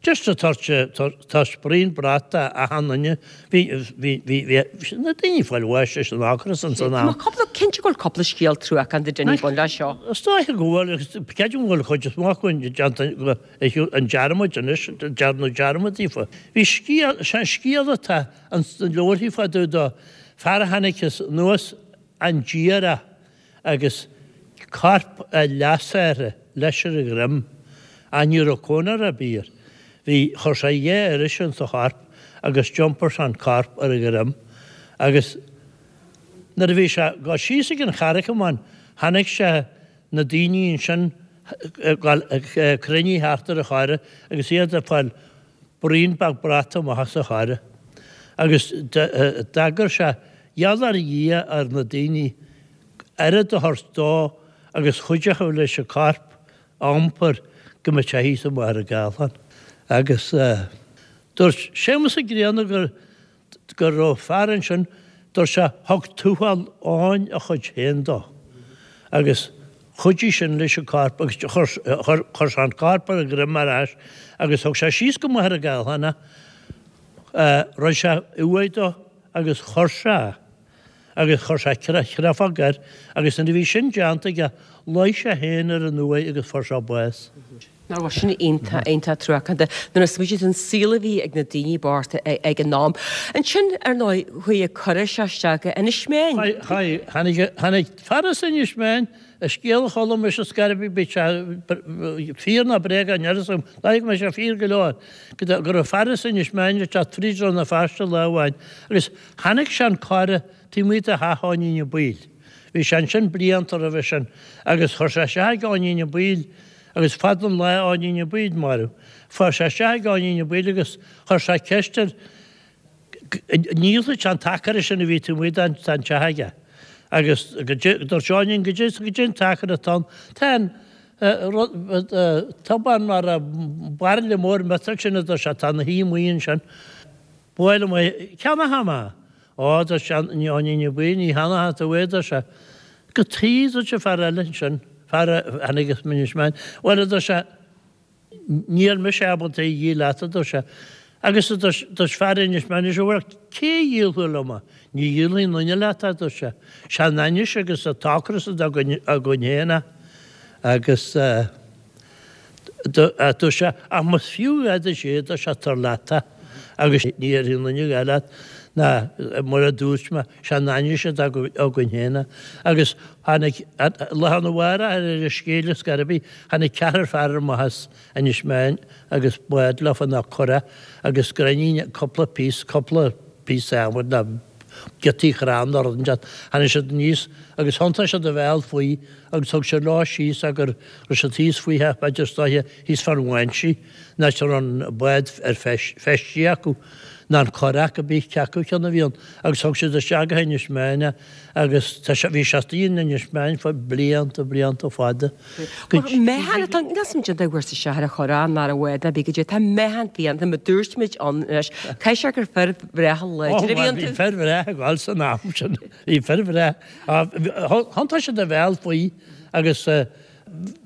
just ag tabhairt braon brat d'achan duine, bhí, bhí, bhí, bhí na daoine ag fáil bháis leis an ocras ins an am. Tá cúpla, cinnte go bhfuil cúpla scéal truacánta Dinny ag baint leis seo. Is dóiche go bhfuil agus creidim go bhfuil chuid is mó acu déanta an dearmad anois, dearnadh dearmad daofa. Bhí scéal, sé an scéal atá ins na leabharthaí fá dtaobh dó, fear a tháinig anuas an Díreach agus corp a leasathar leis ar a dhroim, ach ní raibh cónair ar bith air. Bhí, chuir sé dhá uiris ins an chorp agus d'iompair sé an corp ar a dhroim agus nuair a bhí sé ag dul síos ag an Charraig Amháin chonaic sé na daoine ansin ag dul cruinnithe thart ar an churach agus iad ag fáil braon beag brat amach as an churach. Agus d'agair sé gheall ar Dhia ar na daoine oiread a thabhairt dó agus chuideochadh leis an corp a iompar go mbeadh sé thíos i Machaire Gathlán. Agus dúirt Séamus Ó Grianna gur go raibh fear ansin, dúirt sé, thug Tuathal Eoin a chuid féin dó. Agus chuidigh sin leis an corp agus chuir chuir sé an corp ar a dhroim ar ais agus thug sé síos go Machaire Gathlán é, rinne sé uaigh dó agus chuir sé é. Agus chuir sé creafóg air agus nuair a bhí sin déanta aige, luigh sé féin ar an uaigh agus fuair sé bás. Nach raibh sin iontach, iontach truacánta nuair a smaoitíonn tú an saol a bhí ag na daoine bochta ag an am. Ansin, ar ndóigh, chuaigh an curach seo isteach go Inis Meáin. Chuaigh, tháinig, tháinig fear as Inis Meáin, an scéal a chuala mise ar scor ar bith, bíodh sé fíor nó bréagach, níl a fhios agam, dóigh go mbeidh sé fíor go leor, go raibh fear as Inis Meáin ag teacht fríd Rann na Feirste lá amháin agus chonaic sé an curach taobh amuigh de theach Eoinín Uí Baoill. Bhí sé ansin blianta roimhe sin agus chuir sé isteach ag Eoinín Ó Baoill agus fada an lá Eoinín Ó Baoill marbh. Fuair sé isteach ag Eoinín Ó Baoill agus chuir sé ceist air an ndíolfadh sé an t-acra sin a bhí taobh amuigh den teach aige. Agus dúirt Eoinín goidé goidé an t-acra atá ann. Tá an tobán mar bairille mór miotail sin a dúirt sé atá ina shuí amuigh ansin. Buail amuigh ceannóchaidh mé. Ó, a dúirt Eoinín Ó Baoill, ní cheannóchaidh tú é, a dúirt sé. Cad chuige, a dúirt an fear eile ansin, fear a tháinig as Inis Meáin. Bhuel, a dúirt sé, níl mise ábalta é a dhíol leat, a dúirt sé. Agus a dúirt, dúirt fear Inis Meáin, bhuel, cé a dhíolfadh liom é? Ní dhíolfaidh aon duine leat é, a dúirt sé. Sé an ainnis agus an t-ocras atá againn féin é. Agus. Dúirt sé, ach más fiú a dhath duit é, dúirt sé, tabhair leat é agus ní dhéarfaidh aon duine a dhath leat ná mar a dúirt mé, sé an ainnis atá againn féin é. Agus tháinig, lá arna mhárach ar an scéal ar scor ar bith, tháinig ceathrar fear amach as Inis Meáin agus bád leofa ná curach agus gráinnín, cúpla píosa, cúpla píosa adhmaid ná giotaí crann nó rud inteacht. Tháinig siad aníos agus thiontaigh siad a bhéal faoi agus thug siad leo síos é go raibh siad thíos faoi theach, b'fhéidir is dóiche, thíos fán bháinsí, an áit a raibh an bád ar feistithe acu, nó an curach, cibé cé acu ceann a bhí ann, agus thug siad isteach go hInis Meáin é agus tá sé, bhí sé istigh in Inis Meáin fá blianta, blianta fada. Meáchan atá, níl 's agam cad é a fuair sé ar an churach ná ar an bhád ná bí goidé, tá meáchan fiánta, mar dúirt muid ann anois, caithfidh sé gur fir bhreátha láidre a bhí iontu. Bhí fir bhreátha ag gabháil san am sin, bhí fir bhreátha, thiontaigh siad a bhéal faoi agus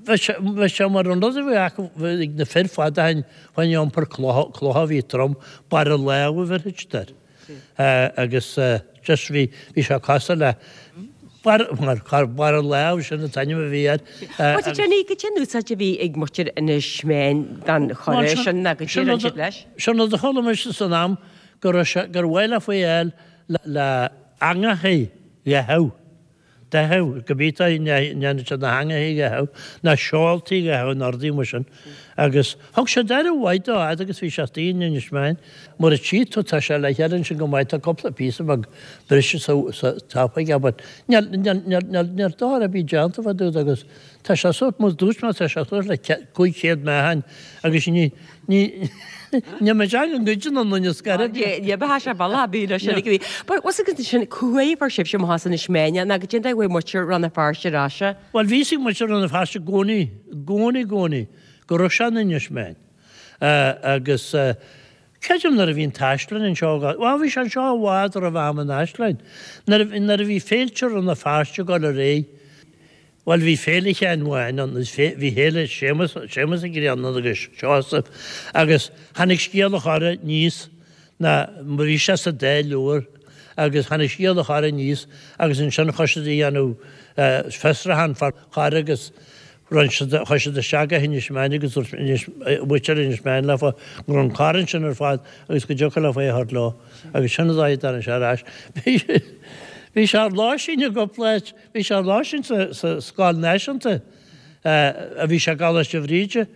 bhí sé mar an rud a bhí acu ag na fir fada fá choinne iompar clocha a bhí trom, barra lámh a bheirfidh siad air. Agus just bhí bhí sé cosúil le barra barra lámh sin an t-ainm a bhí air. Bhuel Jenny, goidé an úsáid a bhí ag muintir Inis Meáin den churach sin ná goidé a rinne siad leis? Sin rud a chuala mise san am go raibh sé gur mhaith leofa é a fháil le le eangachaí le habh. daichead, go bith a ndéanann siad na heangachaí a cheapadh, na seoltaí a cheapadh in ordaí mar sin. Agus thug sé d'aire mhaith dó fhad agus bhí sé istigh in Inis Meáin. Mar a tchí tú, tá sé le chéile ansin go maith, tá cúpla píosa beag briste sa sa top aige but níl níl níl níl níl dochar ar bith déanta fá dtaobh de agus tá sé sórt, mar dúirt mé, tá sé suas le cúig chéad meáchain agus ní ní níl mé ag an gcuid den duine scair. Ní bheadh sé bealach ar bith leis sin ag bhí. But what's it sin cúig fuair sibhse amach as Inis Meáin ná go dtéann uaidh muintir Rann na Feirste ar ais. Bhuel bhí fhios ag muintir Rann na Feirste i gcónaí, i gcónaí, i gcónaí go raibh sé in Inis Meáin. Agus creidim nuair a bhí an t-áislann anseo, bhuel bhí sé anseo i bhfad roimh am an áislainn. Nuair a, nuair a bhí féilte Rann na Feirste ag dul ar aghaidh, bhuel bhí Féile Sheáin Bháin ann, bhí Féile Séamus, Séamus Ó Grianna agus Seosamh agus tháinig Scéal an Chorra aníos ná bhí sé sa dá leabhar agus tháinig Scéal an Chorra aníos agus ansin chuaigh siad a dhéanamh fiosrúchán fán chorra agus Rinn siad, chuaigh siad isteach go hInis Meáin agus dúirt Inis, muintir Inis Meáin leofa go raibh an corr ansin ar fad agus go dtiocfadh leofa é a thabhairt leo agus sin an dóigh a dtáinig sé ar ais. Bhí, bhí sé ar lóistín i gcúpla áit, bhí sé ar lóistín sa, sa Scoil Náisiúnta a bhí sé i gColáiste Bhríde,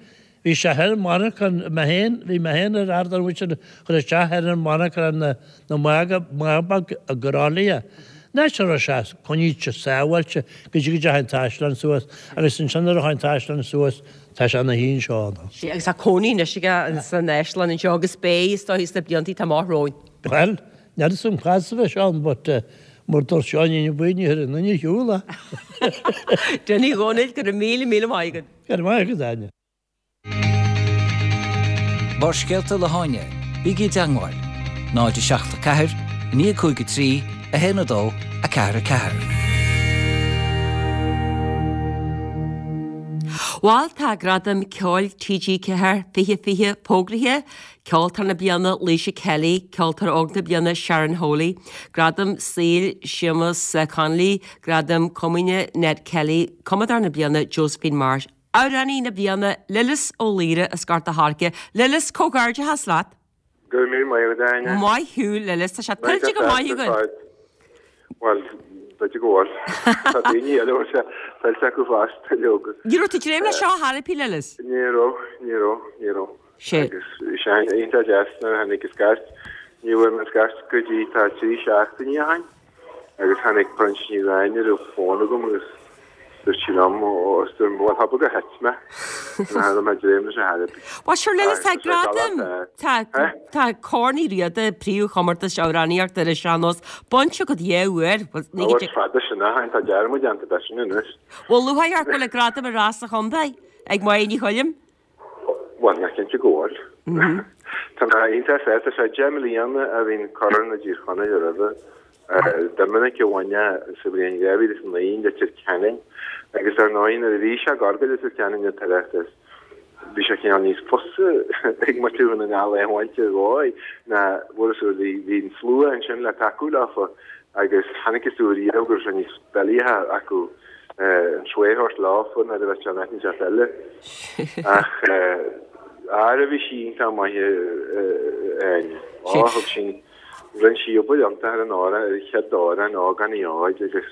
Bhí sé thoir i monarcha, mé féin, bhí mé féin ar fhear den mhuintir a chuir isteach thoir i monarcha na na mbád beag i gCroithlí. An áit a raibh sé coinnithe sábháilte go dtí go dteachaigh an t-áislann suas agus ansin nuair a chuaigh an t-áislann suas tá sé ina shuí anseo ann. Sea, agus tá cónaí anois aige san áislann anseo agus beidh, is dóigh, sna blianta atá amach romhainn. Bhuel, níl 'fhios a'm cá fhad is a bheidh sé ann but mar dúirt Seáinín Buí ní chuirfidh aon duine ar shiúl é. Dinny Dhónaill, go raibh míle míle maith agat. Go raibh maith agat, Áine. Barrscéalta le hÁine, bígí i dteangmháil, náid a seacht a ceathair, a naoi a cúig a trí, a haon a dó, a ceathair a ceathair. Bhal tá Gradaim Ceoil T G ceathair fiche fiche fógraithe, Ceoltóir na Bliana Laoise Kelly, Ceoltóir Óg na Bliana Sharon Whooley, Gradam Saoil Séamus Connolly, Gradam Comaoine Ned Kelly, Cumadóir na Bliana Josephine Marsh. Amhránaí na Bliana, Lillis Ó Laoire as Gort a' Choirce. Lillis, comhghairdeachas leat! Go raibh míle maith agat, a Áine. Maith thú, Lillis, tá sé tuillte go maith againn. Bhuel, b'fhéidir go bhfuil. Tá daoine eile a bhfuil sé tuillte acu fosta, leoga. Ní raibh tú ag dréim leis seo ar chor ar bith, Lillis? Ní raibh, ní raibh, ní raibh. Sé. Agus bhí sé iontach deas nuair a tháinig an scairt. Ní bhfuair mé an scairt go dtí tá trí seachtainí ó shin. Agus tháinig Proinsias Ní Riain ar an bhfón agam agus dúirt sí liom, ó, is dúirt, bhuel, thapaidh gur thit mé. Nach raibh mé ag dréim leis ar chor ar bith. Bhuel, sure, Lillis, tá Agus tá sé gradam, galánta. tá, Eh? tá Corn Uí Riada, príomhchomórtas amhránaíochta ar an sean-nós, bainte agat dhá uair. Bhuel, ní Ó, go is dtig. fada sin ó shin, tá dearmad déanta de sin anois. Bhuel, lúcháir ort go bhfuil an gradam ar ais sa chontae ag Máire Ní Choilm. Bhuel, nach cinnte go bhfuil. Tá mé iontach sásta, sé deich mbliana a bhí an Corn i dTír Chonaill roimhe. Doiminic a bhain é sa bhliain dhá mhíle is a naoi i Leitir Ceanainn agus ar ndóigh nuair a bhí sé ag gabháil go Leitir Ceanainn an tOireachtas bhí sé cineál níos fusa ag muintir Dhún na nGall é a bhaint ar dhóigh ná bhfuair is bhí bhí an slua ansin le tacú leofa agus chonacthas domh riamh go raibh sé níos doilighe acu an trua a thabhairt leofa nuair a bheadh sé in áit inteacht eile. Ach ara bhí sí iontach maith Áine. Ó thug sí rinne sí obair iontach ar an amhrán ar an chéad amhrán Ógánach Óig agus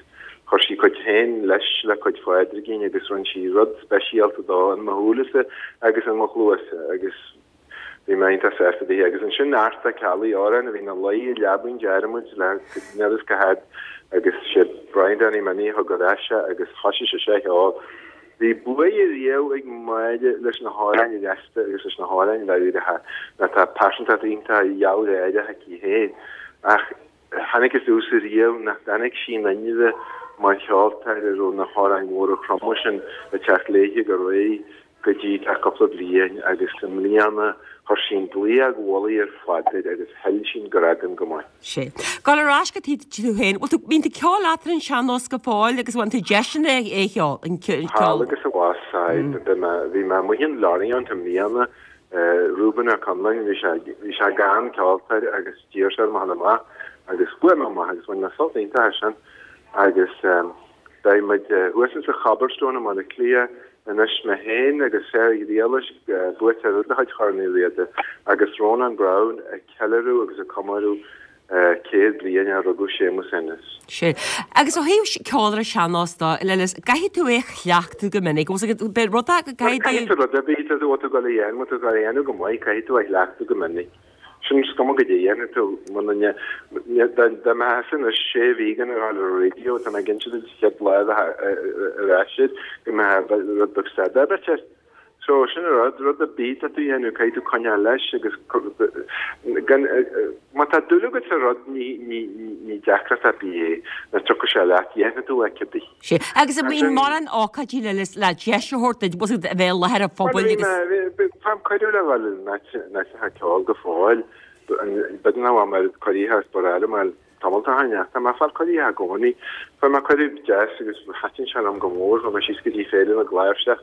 chuir sí cuid féin leis le cuid Phádraigín agus rinne sí rud speisialta dó in mo shúilese agus in mo chluasa agus bhí mé iontach sásta léi. Agus ansin Art Ó Ceallaigh, amhrán a bhí ina luí i leabainn dearmaid le níl fhios cá fhad agus sé Brian Danny Minnie a thug ar ais é agus thoisigh sé a cheol. Bhí buaidh riamh ag Máire leis na hamhráin ghasta agus leis na hamhráin mheabhracha nó tá pearsantacht iontach ghealgháireach aici féin ach chonacthas domhsa riamh nach dtáinig sí in inmhe mar cheoltóir a raibh na hamhráin mhóra throma sin ag teacht léithe go réidh go dtí tá cúpla bliain agus i mbliana chuir sí an dlaíóg mhullaigh ar fad air agus thuill sí an gradam go maith. Sea. Gabháil ar ais go dtí tú féin. Bhfuil tú, bíonn tú ag ceol leat ar an sean-nós go fóill agus bhfuil tú deiseanna é a cheol, an ceol? Thall agus abhus, aye. Bhí mé, bhí mé amuigh in Lorient i mbliana, Reuben Ó Conláin, bhí sé, bhí sé gan ceoltóir agus d'iarr sé orm a dhul amach agus chuaigh mé amach agus bhain mé sult iontach as sin agus beidh muid thuas insa Cobblestone i mBaile Átha Cliath Anois mé féin agus Sarah Ghriallais, buaiteoir de chuid Chorn Uí Riada, agus Rónán Browne ag ceiliúradh agus ag comóradh céad bliain a rugadh Séamus Ennis. Sin. Agus ó thaobh ceol ar an sean-nós de, a Lillis, caithfidh tú é a chleachtadh go minic. Bhfuil a fhios agat, beidh rud go gcaithfidh tú. Caithfidh tú rud ar bith a bhfuil tú ag dul a dhéanamh, má tá tú ag dul a dhéanamh go maith, caithfidh tú a chleachtadh go minic. Sin is cuma goidé a dhéanfaidh tú, muna ndé, dá mbeifeása anois sé mhí gan a ghabháil ar an raidió, tá mé cinnte duit an chéad lá a bheifeá ar ais air, go mbeifeá rud beag stad ar bit. So, sin an rud, rud ar bith atá tú a dhéanamh, caithfidh tú coinneáil leis agus gan, má tá dúil agat sa rud, ní, ní, ní deacracht ar bith é, nó tiocfaidh sé leat, dhéanfaidh tú é cibé. Sea, agus an mbíonn mórán ócáidí le, le deis a thabhairt duit, bhfuil a fhios agat, a bheith i láthair an phobail agus. Bhuel, bhí mé, faighim cuireadh le dhul in áiteacha ceoil go fóill, b'fhéidir nach bhfuil mé cuirithe as bar eile, mar Tamall ó shin ach tá mé ag fáil cuirí i gcónaí. Fuair mé cuireadh deas agus thaitin sé liom go mór. Chuaigh mé síos go dtí Féile na gCláirseach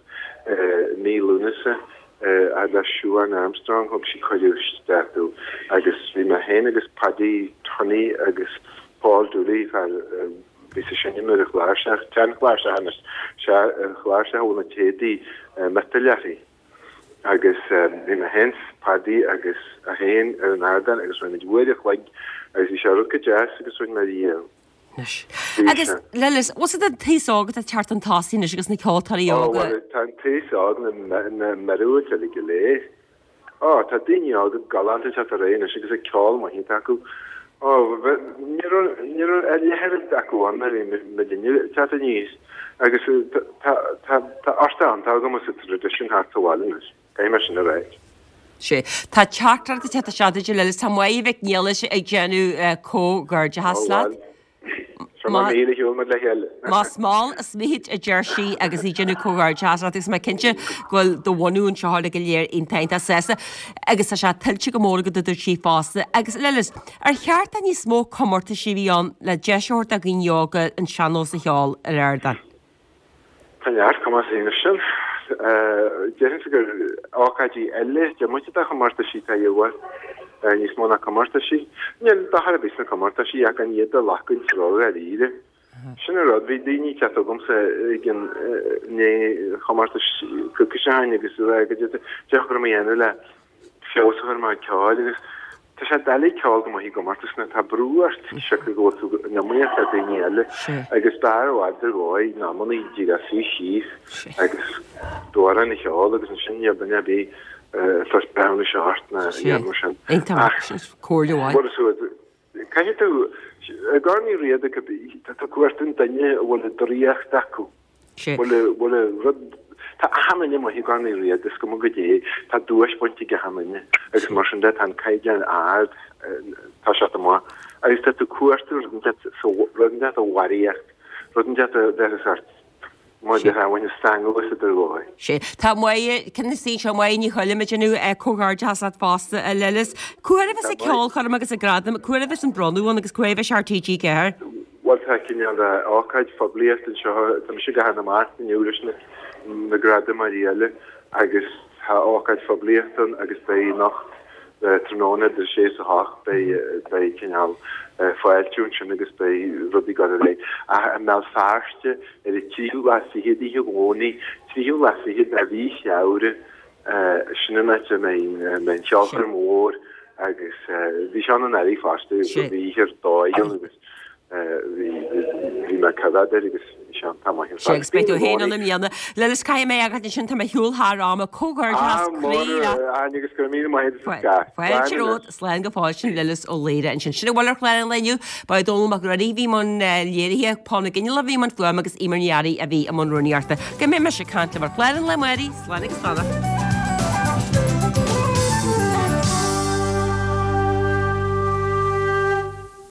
i mí Lúnasa fhad le Siobhán Armstrong, thug sí cuireadh isteach domh agus bhí mé féin agus Paddy Tunney agus Paul Dooley, fear a bhí ag seinm ar an chláirseach, tseanchláirseach anois, sea, an chláirseach a bhfuil na téadaí miotail uirthi. Agus bhí mé féin 's Paddy agus é féin ar an ardán agus rinne muid uair a chloig agus bhí sé rud go deas agus rinne mé riamh. Anois. Bhí Agus sé. Lillis, bhfuil a fhios agat an t-aos óg atá ag teacht chun tosaigh anois agus na ceoltóirí Ó, óga. bhuel, tá an t-aos óg na, na míorúilt uilig go léir. Ó, tá daoine óga galánta ag teacht ar aghaidh anois agus ag ceol maith iontach acu. Ó, ní raibh, ní raibh a leithéid acu ann nuair a bhí muidinne ag teacht aníos. Agus tá, tá, tá ort ann, tá agam sa traidisiún thart sa bhaile anois. Caithfidh mé sin a ráit. Sea. Tá teachtaireacht ag teacht isteach duit, a Lillis. Tá Máire Mhic Niallais ag déanamh comhghairdeachas Ó, leat. bhuel. Seo mar míle shiúil muid le chéile. Más mall is mithid a deir sí agus í ag déanamh comhghairdeachas leat agus mé cinnte go bhfuil do bhunú anseo uilig go léir iontach iontach sásta agus tá sé tuillte go mór agat a dúirt sí fosta. Agus Lillis, ar cheart do níos mó comórtaisí a bheith ann le deis a thabhairt do dhaoine óga an sean-nós a cheol ar ardán? Tá neart comórtaisí anois sin. Déarfainnse gur ócáidí eile, diomaite de chomórtaisí atá a dhíobháil, níos mó ná comórtaisí. Níl dochar ar bith sna comórtaisí ach gan iad a ghlacadh ródháiríre. Sin an rud, bhí daoine ag teacht chugamsa ag an ndiaidh chomórtais coicís ó shin agus ag rá goidé a chur mé a dhéanamh le feabhas a chur ar mo chuid ceoil agus tá sé doiligh ceol go maith i gcomórtas nuair atá brú ort siocair go bhfuil tú in iomaíocht le daoine eile agus b'fhearr i bhfad ar dhóigh in amannaí díreach suí síos agus d'amhrán a cheol agus ansin níl duine ar bith ag tabhairt breithiúnais ort ná a dhéanamh sin. Ach comhairle mhaith. Caithfidh tú, i gCorn Uí Riada, tá tú ag cuartú an duine a bhfuil an draíocht acu. Bhfuil, bhfuil rud, tá achan duine maith i gCorn Uí Riada, is cuma goidé, tá duais bainte ag achan duine agus mar sin de tá an caighdeán ard, tá sé amach agus tá tú ag cuartú rud inteacht sa, rud inteacht a bharraíocht, rud inteacht a bheas ort, mar a déarfá, a bhain stangadh as idir dhóigh. Sea. Tá Máire, cinn na saoin seo, Máire Ní Choilm ag déanamh comhghairdeachas leat fosta, a Lillis. Cá huair a bheas an ceolchoirm agus an gradam, cá huair a bheas an bronnadh ann agus cá huair a bheas ar T G Ceathair? Bhuel, tá cineál de ócáid phoiblíochta anseo, tá mise ag gabháil amach inniu leis na gradamóirí eile agus tá ócáid phoiblíochta ann agus beidh anocht tráthnóna idir a sé is a hocht, beidh beidh cineál fáiltiú ansin agus beidh rudaí ag dul ar aghaidh. Ach i mBéal Feirste ar an tríú lá fichead oíche Dhomhnaigh, tríú lá fichead de mhí Feabhra, sin an áit a mbeidh an cheolchoirm mhór agus bhí sé ann anuraidh fosta, bhí oíche ar dóigh ann agus bhí bhí mé ag coimhéad air agus bhí sé iontach maith ar Sea, fad. agus beidh tú féin ann i mbliana. Lillis, caithfidh mé fhágáil ansin, tá mé ar shiúl thar am, comhghairdeachas Ah, croí leat. Áine agus go raibh míle maith agat as gach. Fáilte Slán romhat, slán go fóill, sin Lillis Ó Laoire ansin. Sin a bhfuil ar chlár an lae inniu. Ba é Dónall Mac Ruairí a bhí i mbun léirithe, Paul Mac Fhionnghaile a bhí i mbun fuaime agus Eimear Ní Fhearraigh a bhí i mbun rúnaíochta. Go mbeidh mise ag caint libh ar chlár an lae amárach, slán agus beannacht.